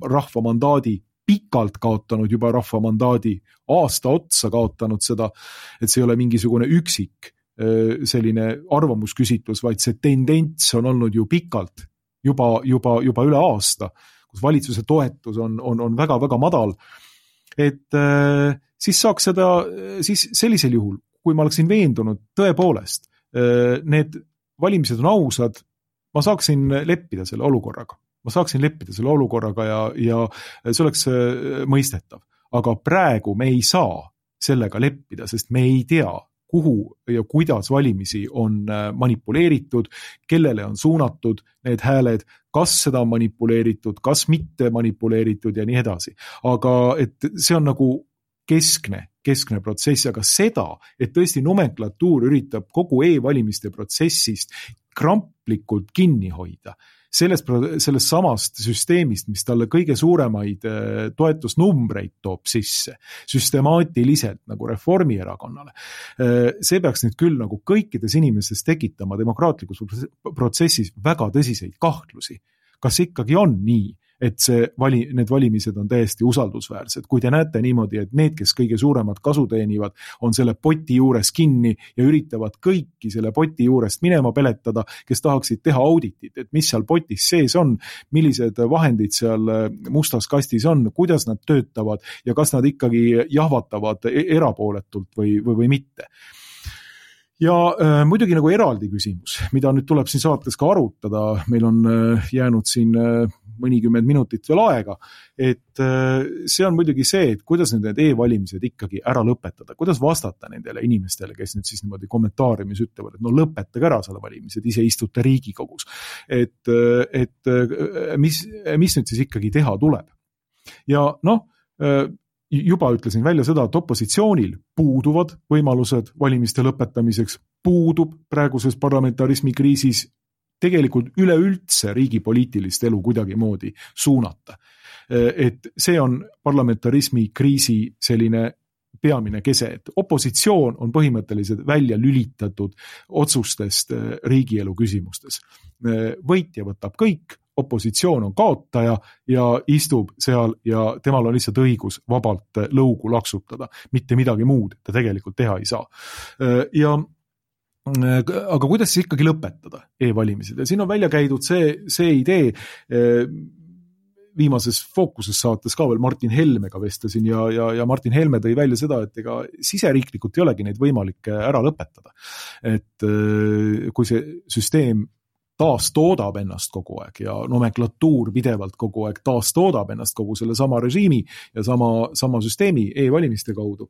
rahva mandaadi, pikalt kaotanud juba rahva mandaadi, aasta otsa kaotanud seda, et see ei ole mingisugune üksik selline arvamusküsitlus, vaid see tendents on olnud ju pikalt, juba, juba, juba üle aasta, kus valitsuse toetus on, on, on väga, väga madal. Et äh, siis saaks seda, siis sellisel juhul, kui ma oleksin veendunud tõepoolest, äh, need valimised on ausad, ma saaksin leppida selle olukorraga. Ma saaksin leppida selle olukorraga ja, ja see oleks äh, mõistetav. Aga praegu me ei saa sellega leppida, sest me ei tea, kuhu ja kuidas valimisi on manipuleeritud, kellele on suunatud need hääled, kas seda on manipuleeritud, kas mitte manipuleeritud ja nii edasi. Aga et see on nagu keskne, keskne protsess, aga seda, et tõesti nomenklatuur üritab kogu e-valimiste protsessist kramplikult kinni hoida, sellest, sellest samast süsteemist, mis talle kõige suuremaid toetusnumbreid toob sisse, süstemaatiliselt nagu Reformierakonnale. See peaks nüüd küll nagu kõikides inimestes tekitama demokraatlikus protsessis väga tõsiseid kahtlusi. Kas ikkagi on nii, et see vali, need valimised on täiesti usaldusväärsed. Kui te näete niimoodi, et need, kes kõige suuremat kasu teenivad, on selle poti juures kinni ja üritavad kõiki selle poti juurest minema peletada, kes tahaksid teha auditit, et mis seal potis sees on, millised vahendid seal mustas kastis on, kuidas nad töötavad ja kas nad ikkagi jahvatavad erapooletult või, või, või mitte. Ja äh, muidugi nagu eraldi küsimus, mida nüüd tuleb siin saates ka arutada, meil on äh, jäänud siin äh, mõnikümmend minutit veel aega, et äh, see on muidugi see, et kuidas need e-valimised ikkagi ära lõpetada, kuidas vastata nendele inimestele, kes nüüd siis niimoodi kommentaariumis ütlevad, et no lõpetage ära selle valimised, ise istute Riigikogus, et, et mis, mis nüüd siis ikkagi teha tuleb. Ja noh, juba ütlesin välja seda, et opositsioonil puuduvad võimalused valimiste lõpetamiseks, puudub praeguses parlamentarismi kriisis tegelikult üleüldse riigi poliitilist elu kuidagi moodi suunata. Et see on parlamentarismi kriisi selline peamine kese, et opositsioon on põhimõtteliselt välja lülitatud otsustest riigielu küsimustes. Võitja võtab kõik, opositsioon on kaotaja ja istub seal ja temal on lihtsalt õigus vabalt lõugu laksutada, mitte midagi muud ta tegelikult teha ei saa. Ja aga kuidas siis ikkagi lõpetada e-valimised? Ja siin on välja käidud see, see idee, viimases Fookuses saates ka veel Martin Helmega vestlesin ja, ja, ja Martin Helme tõi välja seda, et ega siseriiklikult ei olegi neid võimalik ära lõpetada. Et kui see süsteem taas toodab ennast kogu aeg ja nomenklatuur pidevalt kogu aeg taas toodab ennast kogu selle sama režiimi ja sama, sama süsteemi e-valimiste kaudu,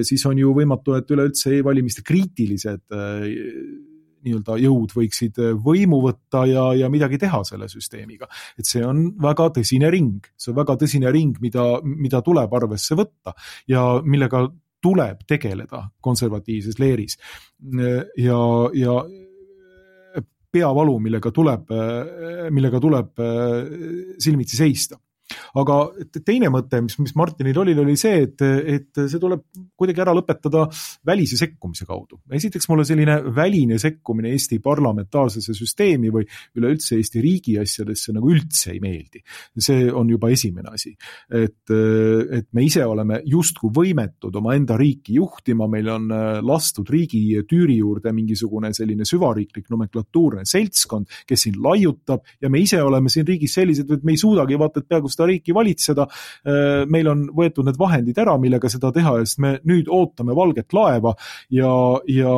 siis on ju võimatu, et üleüldse e-valimiste kriitilised nii-öelda jõud võiksid võimu võtta ja, ja midagi teha selle süsteemiga. Et see on väga tõsine ring, see on väga tõsine ring, mida, mida tuleb arvesse võtta ja millega tuleb tegeleda konservatiivses leeris. Ja, ja peavalu, millega tuleb, millega tuleb silmitsi seista. Aga teine mõte, mis, mis Martinil oli, oli see, et, et see tuleb kuidagi ära lõpetada välise sekkumise kaudu. Esiteks mulle selline väline sekkumine Eesti parlamentaarsesse süsteemi või üleüldse Eesti riigi asjadesse nagu üldse ei meeldi. See on juba esimene asi. Et, et me ise oleme justku võimetud oma enda riiki juhtima, meil on lastud riigi tüüri juurde mingisugune selline süvariiklik nomenklatuurne seltskond, kes siin laiutab ja me ise oleme siin riigis sellised, et me ei suudagi vaata, et peaaegu seda riiki valitseda. Meil on võetud need vahendid ära, millega seda teha, sest me nüüd ootame valget laeva ja, ja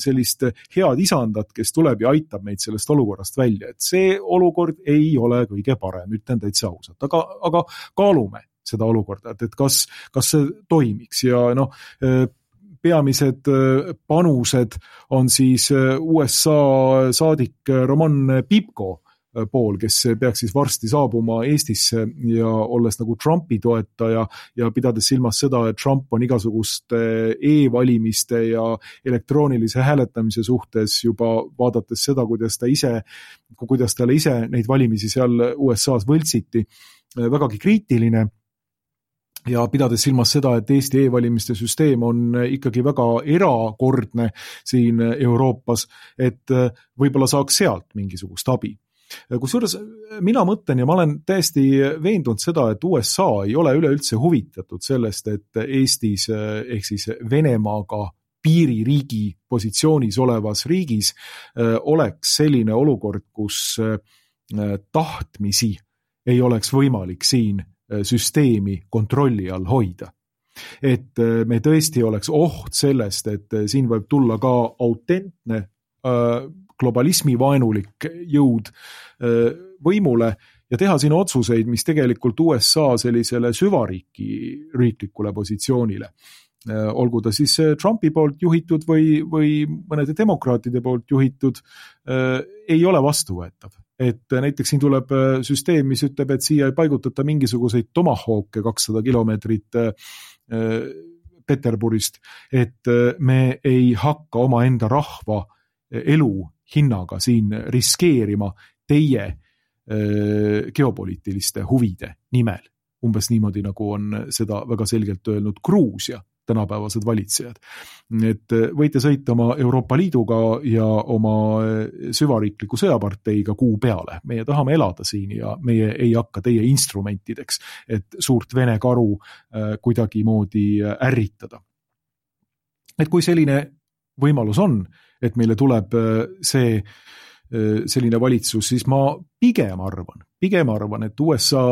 sellist head isandat, kes tuleb ja aitab meid sellest olukorrast välja. Et see olukord ei ole kõige parem, ütlen täitsa ausalt. Aga, aga kaalume seda olukorda, et, et kas, kas see toimiks ja noh, peamised panused on siis U S A saadik Roman Pipko pool, kes peaks siis varsti saabuma Eestisse ja olles nagu Trumpi toetaja ja pidades silmas seda, et Trump on igasuguste e-valimiste ja elektroonilise hääletamise suhtes juba vaadates seda, kuidas ta ise, kuidas talle ise neid valimisi seal U S A-s võltsiti, vägagi kriitiline. Ja pidades silmas seda, et Eesti e-valimiste süsteem on ikkagi väga erakordne siin Euroopas, et võib-olla saaks sealt mingisugust abi. Kusjuures mina mõtlen ja ma olen täiesti veendunud seda, et U S A ei ole üleüldse huvitatud sellest, et Eestis ehk siis Venemaaga piiririigi positsioonis olevas riigis oleks selline olukord, kus tahtmisi ei oleks võimalik siin süsteemi kontrolli all hoida. Et me tõesti oleks oht sellest, et siin võib tulla ka autentne globalismi vaenulik jõud võimule ja teha siin otsuseid, mis tegelikult U S A sellisele süvariiki riiklikule positsioonile. Olgu ta siis Trumpi poolt juhitud või, või mõnede demokraatide poolt juhitud, ei ole vastuvõetav. Et näiteks siin tuleb süsteem, mis ütleb, et siia ei paigutata mingisuguseid tomahawke kakssada kilomeetrit Peterburist, et me ei hakka oma enda rahva elu hinnaga siin riskeerima teie geopoliitiliste huvide nimel. Umbes niimoodi, nagu on seda väga selgelt öelnud Gruusia tänapäevased valitsejad. Et võite sõita oma Euroopa Liiduga ja oma süvariikliku sõjaparteiga kuu peale. Meie tahame elada siin ja meie ei hakka teie instrumentideks, et suurt Vene karu kuidagi moodi ärritada. Et kui selline võimalus on, et meile tuleb see selline valitsus, siis ma pigem arvan, pigem arvan, et U S A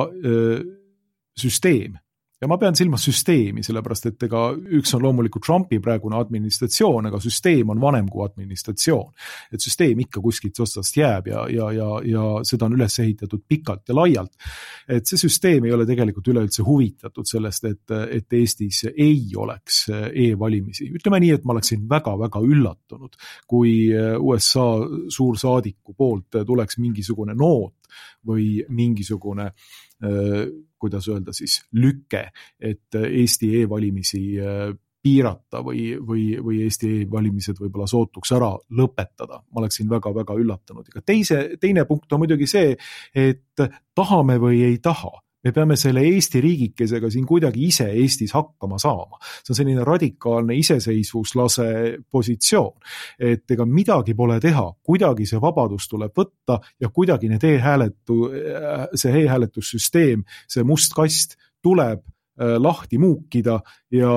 süsteem, ja ma pean silmas süsteemi, sellepärast et ega üks on loomulikult Trumpi praegune administratsioon, aga süsteem on vanem kui administratsioon. Et süsteem ikka kuskilt otsast jääb ja, ja, ja, ja seda on üles ehitatud pikalt ja laialt. Et see süsteem ei ole tegelikult üleüldse huvitatud sellest, et, et Eestis ei oleks e-valimisi. Ütleme nii, et ma oleksin väga-väga üllatunud, kui U S A suursaadiku poolt tuleks mingisugune noot või mingisugune kuidas öelda siis lüke, et Eesti e-valimisi piirata või, või, või Eesti e-valimised võib-olla sootuks ära lõpetada. Ma oleksin väga-väga üllatunud. Ega teise, teine punkt on muidugi see, et tahame või ei taha. Me peame selle Eesti riigikesega siin kuidagi ise Eestis hakkama saama. See on selline radikaalne iseseisvuslase positsioon, et ega midagi pole teha, kuidagi see vabadus tuleb võtta ja kuidagi need e-hääletu, see e-hääletussüsteem, see must kast tuleb lahti muukida ja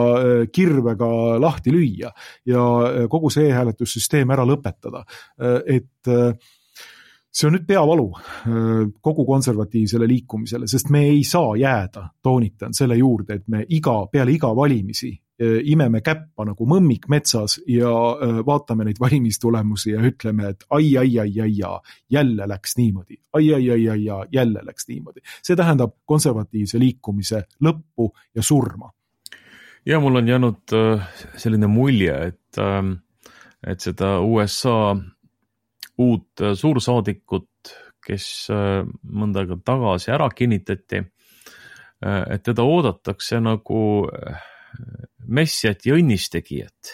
kirvega lahti lüüa ja kogu see e-hääletussüsteem ära lõpetada. Et see on nüüd peavalu kogu konservatiivsele liikumisele, sest me ei saa jääda, toonitan selle juurde, et me iga, peale iga valimisi imeme käppa nagu mõmmik metsas ja vaatame neid valimistulemusi ja ütleme, et ai, ai, ai, ai, ai, jälle läks niimoodi. Ai, ai, ai, ai, ai, jälle läks niimoodi. See tähendab konservatiivse liikumise lõppu ja surma. Ja mul on jäänud selline mulje, et, et seda U S A uut suursaadikut, kes mõnda aega tagasi ära kinnitati, et teda oodatakse nagu messiat ja õnnistegijat.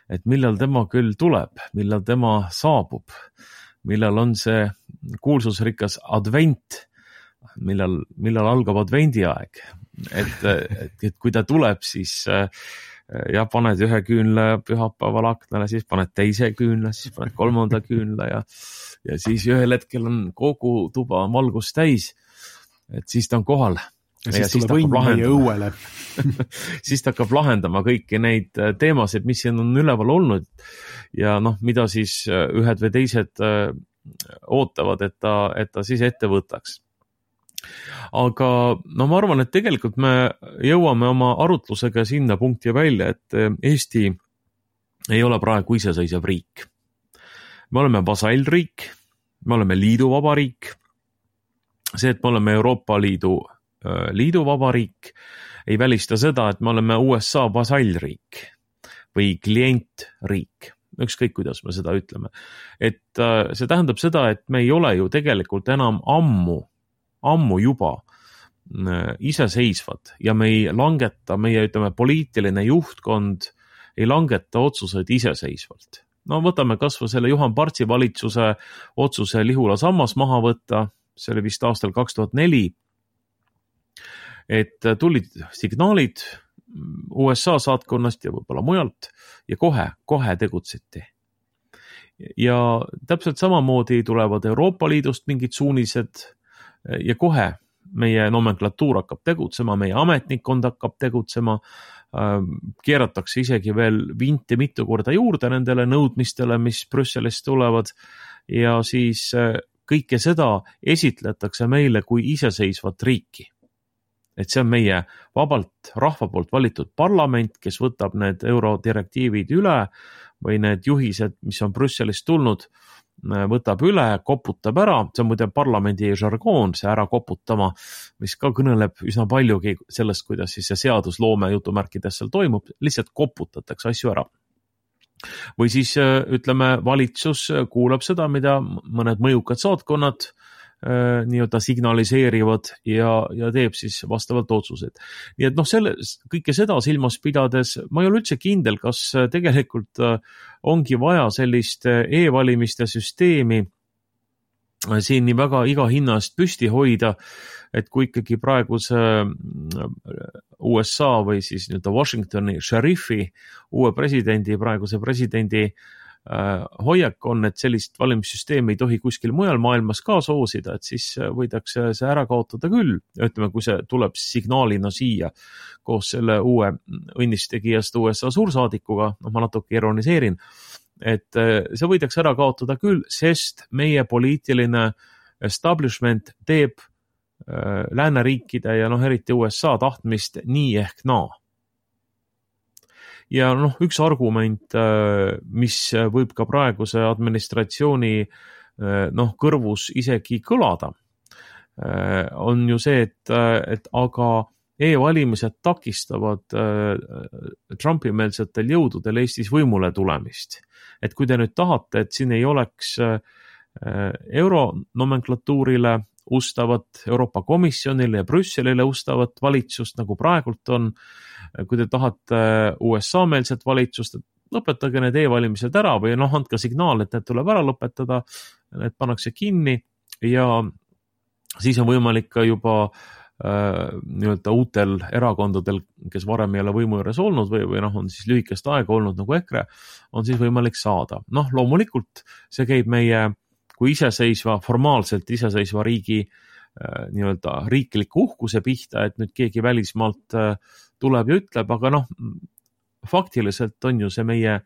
Et millal tema küll tuleb, millal tema saabub, millal on see kuulsusrikas advent, millal, millal algab advendiaeg. Et, et, et kui ta tuleb, siis ja paned ühe küünla pühapäeval aknale, siis paned teise küünla, siis paned kolmanda küünla ja, ja siis ühel hetkel on kogu tuba valgust täis, et siis ta on kohal. Ja siis, ja siis tuleb õnn meie õuele. Siis ta hakkab lahendama kõiki neid teemasid, mis siin on üleval olnud ja noh, mida siis ühed või teised ootavad, et ta, et ta siis ette võtaks. Aga no ma arvan, et tegelikult me jõuame oma arutlusega sinna punkti välja, et Eesti ei ole praegu iseseisev riik. Me oleme vasallriik, me oleme liiduvabariik. See, et me oleme Euroopa Liidu liiduvabariik, ei välista seda, et me oleme U S A vasallriik või klientriik. Ükskõik, kuidas me seda ütleme. Et see tähendab seda, et me ei ole ju tegelikult enam ammu, ammu juba iseseisvad ja me ei langeta, meie ütleme, poliitiline juhtkond ei langeta otsuseid iseseisvalt. No võtame kas või selle Juhan Partsi valitsuse otsuse Lihula sammas maha võtta, see oli vist aastal kaks tuhat neli, et tulid signaalid U S A saatkonnast ja võib-olla mujalt ja kohe, kohe tegutseti. Ja täpselt samamoodi tulevad Euroopa Liidust mingid suunised ja kohe meie nomenklatuur hakkab tegutsema, meie ametnikkond hakkab tegutsema, keeratakse isegi veel vinti mitu korda juurde nendele nõudmistele, mis Brüsselist tulevad ja siis kõike seda esitletakse meile kui iseseisvat riiki. Et see on meie vabalt rahva poolt valitud parlament, kes võtab need eurodirektiivid üle või need juhised, mis on Brüsselist tulnud, võtab üle, koputab ära, see on muide parlamendi žargoon, see ära koputama, mis ka kõneleb üsna paljugi sellest, kuidas siis see seadusloome jutumärkides seal toimub, lihtsalt koputatakse asju ära. Või siis ütleme, valitsus kuulab seda, mida mõned mõjukad saatkonnad nii-öelda signaliseerivad ja, ja teeb siis vastavalt otsused. Nii et noh, selle, kõike seda silmas pidades, ma ei ole üldse kindel, kas tegelikult ongi vaja sellist e-valimiste süsteemi siin nii väga iga hinna eest püsti hoida, et kui ikkagi praeguse U S A või siis nii-öelda Washingtoni šerifi, uue presidendi, praeguse presidendi hoiak on, et sellist valimissüsteemi ei tohi kuskil mujal maailmas ka soosida, et siis võidakse see ära kaotada küll. Ütleme, kui see tuleb signaalina siia koos selle uue õnnistegijast U S A suursaadikuga, noh ma natuke ironiseerin, et see võidakse ära kaotada küll, sest meie poliitiline establishment teeb lääneriikide ja noh, eriti U S A tahtmist nii ehk naa. Ja noh, üks argument, mis võib ka praeguse administratsiooni noh, kõrvus isegi kõlada, on ju see, et, et aga e-valimised takistavad Trumpi-meelsetel jõududel Eestis võimule tulemist. Et kui te nüüd tahate, et siin ei oleks euronomenklatuurile ustavat, Euroopa Komisjonile ja Brüsselile ustavat valitsust, nagu praegult on. Kui te tahate U S A-meelset valitsust, et lõpetage need e-valimised ära või noh, andke signaal, et need tuleb ära lõpetada, need pannakse kinni ja siis on võimalik ka juba äh, nii-öelda uutel erakondadel, kes varem ei ole võimu juures olnud või, või noh, on siis lühikest aega olnud nagu EKRE, on siis võimalik saada. Noh, loomulikult see käib meie kui iseseisva, formaalselt iseseisva riigi äh, nii-öelda riikliku uhkuse pihta, et nüüd keegi välismaalt äh, tuleb ja ütleb, aga noh, faktiliselt on ju see meie äh,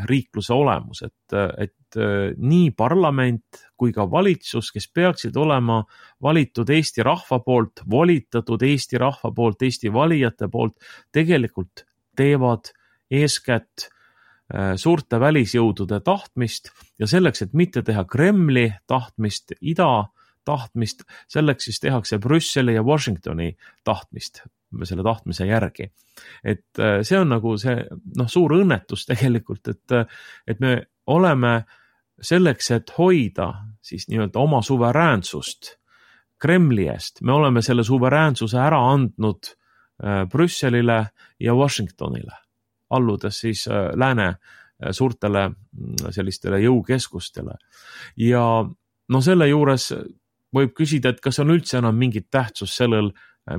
riikluse olemus, et, et äh, nii parlament kui ka valitsus, kes peaksid olema valitud Eesti rahva poolt, volitatud Eesti rahva poolt, Eesti valijate poolt, tegelikult teevad eeskätt suurte välisjõudude tahtmist ja selleks, et mitte teha Kremli tahtmist, ida tahtmist, selleks siis tehakse Brüsseli ja Washingtoni tahtmist, selle tahtmise järgi. Et see on nagu see noh, suur õnnetus tegelikult, et, et me oleme selleks, et hoida siis nii-öelda oma suveräänsust Kremli eest, me oleme selle suveräänsuse ära andnud Brüsselile ja Washingtonile, alludes siis lääne suurtele sellistele jõukeskustele. Ja no selle juures võib küsida, et kas on üldse enam mingit tähtsus sellel,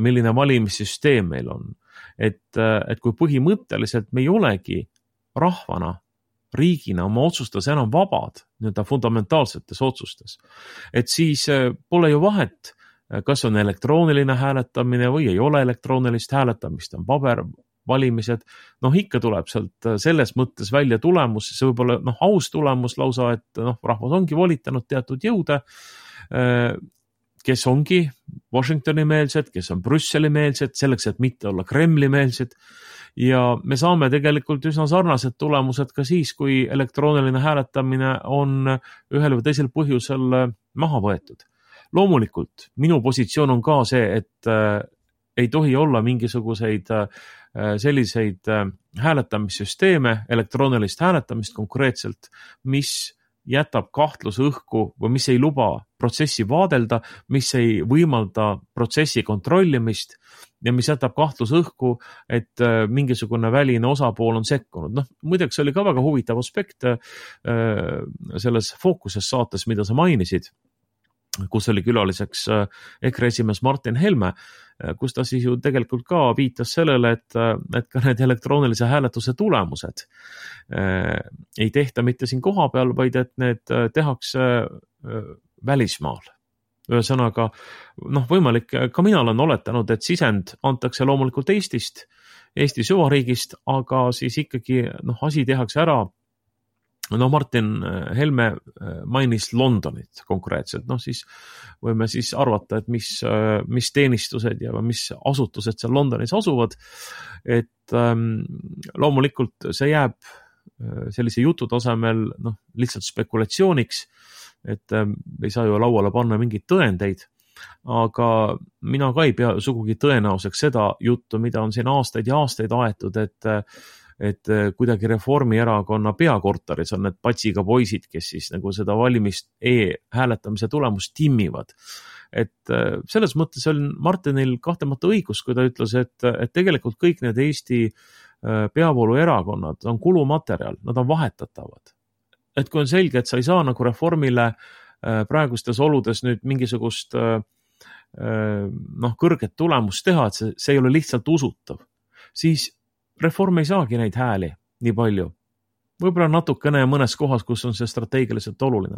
milline valimissüsteem meil on. Et, et kui põhimõtteliselt me ei olegi rahvana, riigina oma otsustas enam vabad, nii-öelda fundamentaalsetes otsustes, et siis pole ju vahet, kas on elektrooniline hääletamine või ei ole elektroonilist hääletamist, on paber valimised, noh ikka tuleb sealt selles mõttes välja tulemus, see võib olla noh, aus tulemus lausa, et noh, rahvas ongi volitanud teatud jõude, kes ongi Washingtoni meelsed, kes on Brüsseli meelsed, selleks, et mitte olla Kremli meelsed ja me saame tegelikult üsna sarnased tulemused ka siis, kui elektrooniline hääletamine on ühel või teisel põhjusel maha võetud. Loomulikult, minu positsioon on ka see, et ei tohi olla mingisuguseid selliseid hääletamissüsteeme, elektroonilist hääletamist konkreetselt, mis jätab kahtluse õhku või mis ei luba protsessi vaadelda, mis ei võimalda protsessi kontrollimist ja mis jätab kahtluse õhku, et mingisugune väline osapool on sekkunud. Noh, muideks oli ka väga huvitav aspekt selles Fookuses saates, mida sa mainisid, kus oli külaliseks EKRE esimees Martin Helme, kus ta siis ju tegelikult ka viitas sellele, et, et ka need elektroonilise hääletuse tulemused ei tehta mitte siin koha peal, vaid et need tehakse välismaal. Ühesõnaga, noh, võimalik, ka mina olen oletanud, et sisend antakse loomulikult Eestist, Eesti süvariigist, aga siis ikkagi noh, asi tehakse ära. No Martin Helme mainis Londonit konkreetselt, noh siis võime siis arvata, et mis, mis teenistused ja mis asutused seal Londonis asuvad, et ähm, loomulikult see jääb sellise jutu tasemel noh, lihtsalt spekulatsiooniks, et ähm, ei saa ju lauale panna mingeid tõendeid, aga mina ka ei pea sugugi tõenäoseks seda juttu, mida on siin aastaid ja aastaid aetud, et et kuidagi Reformierakonna peakorteris on need patsiga poisid, kes siis nagu seda valimist e-hääletamise tulemust timmivad. Et selles mõttes on Martinil kahtemata õigus, kui ta ütles, et, et tegelikult kõik need Eesti peavooluerakonnad on kulumaterjal, nad on vahetatavad. Et kui on selge, et sa ei saa nagu Reformile praegustes oludes nüüd mingisugust noh, kõrget tulemust teha, et see, see ei ole lihtsalt usutav, siis Reform ei saagi neid hääli nii palju. Võib-olla natukene mõnes kohas, kus on see strateegiliselt oluline.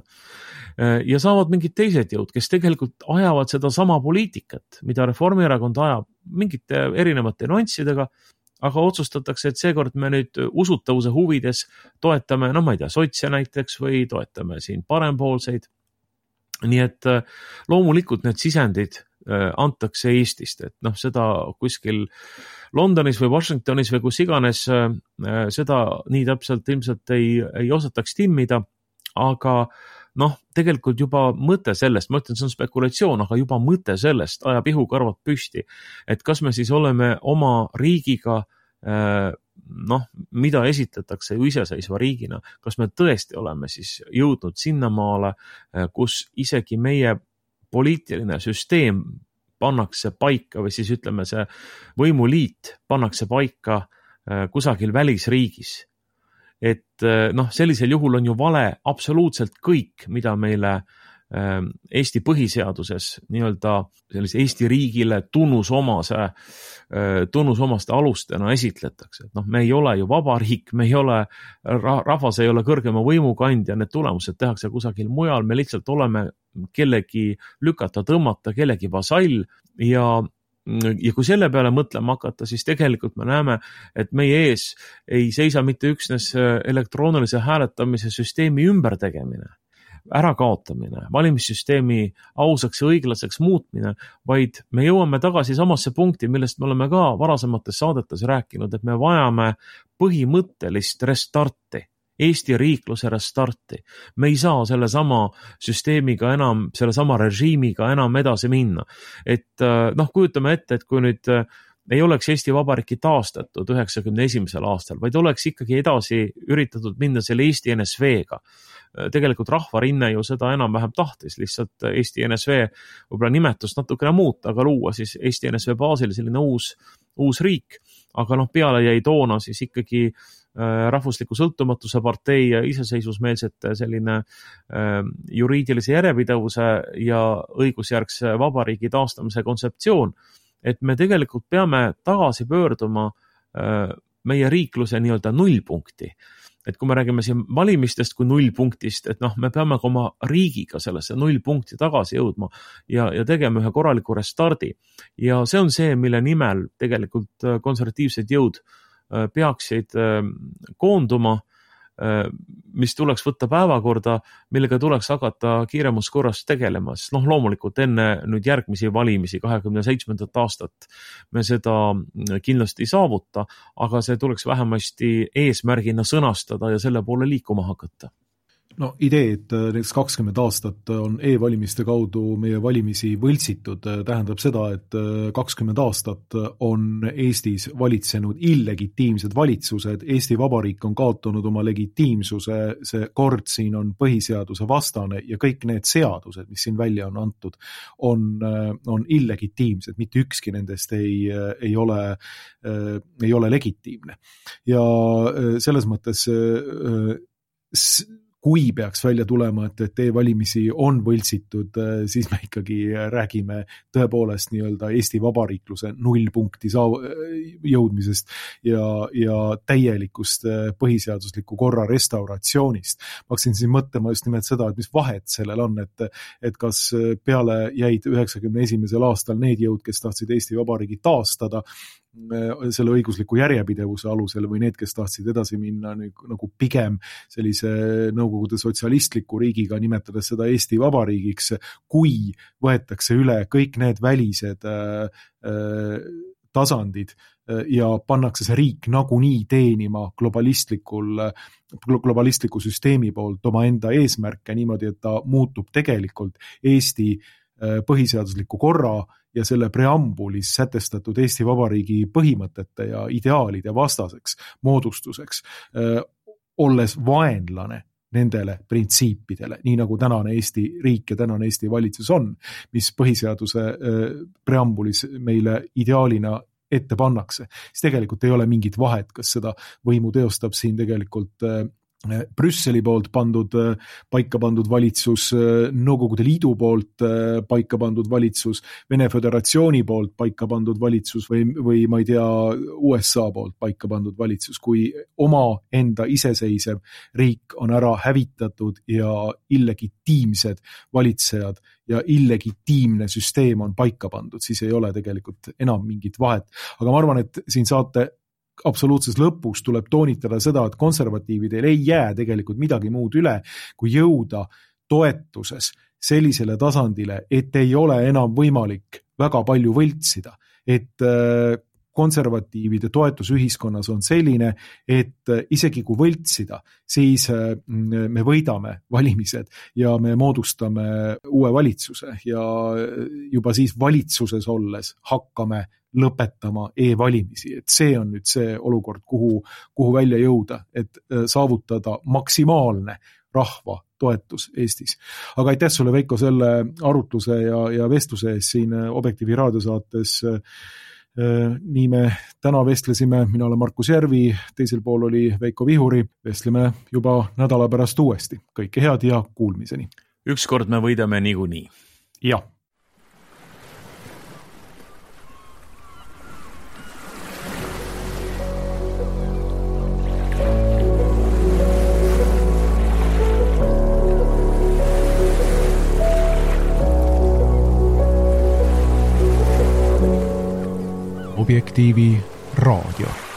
Ja saavad mingid teised jõud, kes tegelikult ajavad seda sama poliitikat, mida Reformierakond ajab mingite erinevate nüanssidega, aga otsustatakse, et seekord me nüüd usutavuse huvides toetame, no ma ei tea, sotse näiteks või toetame siin parempoolseid. Nii et loomulikult need sisendid antakse Eestist, et noh, seda kuskil Londonis või Washingtonis või kus iganes seda nii täpselt ilmselt ei, ei osataks timmida, aga noh, tegelikult juba mõte sellest, ma ütlen, see on spekulatsioon, aga juba mõte sellest ajab ihukarvad püsti, et kas me siis oleme oma riigiga noh, mida esitatakse ju iseseisva riigina, kas me tõesti oleme siis jõudnud sinnamaale, kus isegi meie poliitiline süsteem pannakse paika või siis ütleme, see võimuliit pannakse paika kusagil välisriigis. Et noh, sellisel juhul on ju vale absoluutselt kõik, mida meile Eesti põhiseaduses nii-öelda sellise Eesti riigile tunnusomase, tunnusomaste alustena esitletakse. Et noh, me ei ole ju vabariik, me ei ole, rahvas ei ole kõrgema võimukandja, need tulemused tehakse kusagil mujal, me lihtsalt oleme kellegi lükata, tõmmata, kellegi vasall ja ja kui selle peale mõtlema hakata, siis tegelikult me näeme, et meie ees ei seisa mitte üksnes elektroonilise hääletamise süsteemi ümbertegemine, ärakaotamine, valimissüsteemi ausaks ja õiglaseks muutmine, vaid me jõuame tagasi samasse punkti, millest me oleme ka varasemates saadetes rääkinud, et me vajame põhimõttelist restarti, Eesti riikluse restarti. Me ei saa selle sama süsteemiga enam, selle sama režiimiga enam edasi minna. Et noh, kujutame ette, et kui nüüd ei oleks Eesti Vabariiki taastatud üheksakümne esimesel aastal, vaid oleks ikkagi edasi üritatud minna selle Eesti N S V-ga. Tegelikult rahvarinne ju seda enam-vähem tahtis, lihtsalt Eesti N S V võib-olla nimetust natukene muuta, aga luua siis Eesti N S V baasil selline uus, uus riik. Aga noh, peale jäi toona siis ikkagi rahvusliku sõltumatuse partei ja iseseisvusmeelsete selline juriidilise järjepidevuse ja õigusjärgse vabariigi taastamise kontseptsioon, et me tegelikult peame tagasi pöörduma meie riikluse nii-öelda nullpunkti. Et kui me räägime siin valimistest kui nullpunktist, et noh, me peame ka oma riigiga sellesse nullpunkti tagasi jõudma ja, ja tegema ühe korraliku restardi. Ja see on see, mille nimel tegelikult konservatiivsed jõud peaksid koonduma, mis tuleks võtta päevakorda, millega tuleks hakata kiiremus korras tegelema. Sest noh, loomulikult enne nüüd järgmisi valimisi kahekümne seitsmendat aastat me seda kindlasti ei saavuta, aga see tuleks vähemasti eesmärgina sõnastada ja selle poole liikuma hakata. No idee, et näiteks kakskümmend aastat on e-valimiste kaudu meie valimisi võltsitud, tähendab seda, et kakskümmend aastat on Eestis valitsenud illegitiimsed valitsused, Eesti Vabariik on kaotanud oma legitiimsuse, see kord siin on põhiseaduse vastane ja kõik need seadused, mis siin välja on antud, on, on illegitiimsed, mitte ükski nendest ei, ei, ole, ei ole legitiimne. Ja selles mõttes s- kui peaks välja tulema, et, et e-valimisi on võltsitud, siis me ikkagi räägime tõepoolest nii-öelda Eesti vabariikluse nullpunkti jõudmisest ja, ja täielikust põhiseadusliku korra restauratsioonist. Ma hakkasin siin mõtlema just nimelt seda, et mis vahet sellel on, et, et kas peale jäid üheksakümne esimesel aastal need jõud, kes tahtsid Eesti vabariigi taastada, selle õigusliku järjepidevuse alusel või need, kes tahtsid edasi minna nagu pigem sellise nõukogude sotsialistliku riigiga, nimetades seda Eesti vabariigiks, kui võetakse üle kõik need välised äh, tasandid ja pannakse see riik nagunii teenima globalistlikul, globalistliku süsteemi poolt oma enda eesmärke niimoodi, et ta muutub tegelikult Eesti põhiseadusliku korra ja selle preambulis sätestatud Eesti Vabariigi põhimõtete ja ideaalide vastaseks moodustuseks, olles vaenlane nendele printsiipidele, nii nagu tänane Eesti riik ja tänane Eesti valitsus on, mis põhiseaduse preambulis meile ideaalina ette pannakse. Siis tegelikult ei ole mingit vahet, kas seda võimu teostab siin tegelikult Brüsseli poolt pandud, paika pandud valitsus, Nõukogude Liidu poolt paika pandud valitsus, Vene Föderatsiooni poolt paika pandud valitsus või, või ma ei tea, U S A poolt paika pandud valitsus, kui oma enda iseseisev riik on ära hävitatud ja illegitiimsed valitsejad ja illegitiimne süsteem on paika pandud, siis ei ole tegelikult enam mingit vahet. Aga ma arvan, et siin saate absoluutses lõpus tuleb toonitada seda, et konservatiividel ei jää tegelikult midagi muud üle, kui jõuda toetuses sellisele tasandile, et ei ole enam võimalik väga palju võltsida. Et konservatiivide toetus ühiskonnas on selline, et isegi kui võltsida, siis me võidame valimised ja me moodustame uue valitsuse ja juba siis valitsuses olles hakkame lõpetama e-valimisi. Et see on nüüd see olukord, kuhu, kuhu välja jõuda, et saavutada maksimaalne rahva toetus Eestis. Aga aitäh sulle, Veiko, selle arutluse ja, ja vestluse ees siin Objektiivi raadiosaates. Nii me täna vestlesime, mina olen Markus Järvi, teisel pool oli Veiko Vihuri, vestleme juba nädala pärast uuesti. Kõike head ja kuulmiseni. Ükskord me võidame niikuinii. Jah. Objektiivi raadio.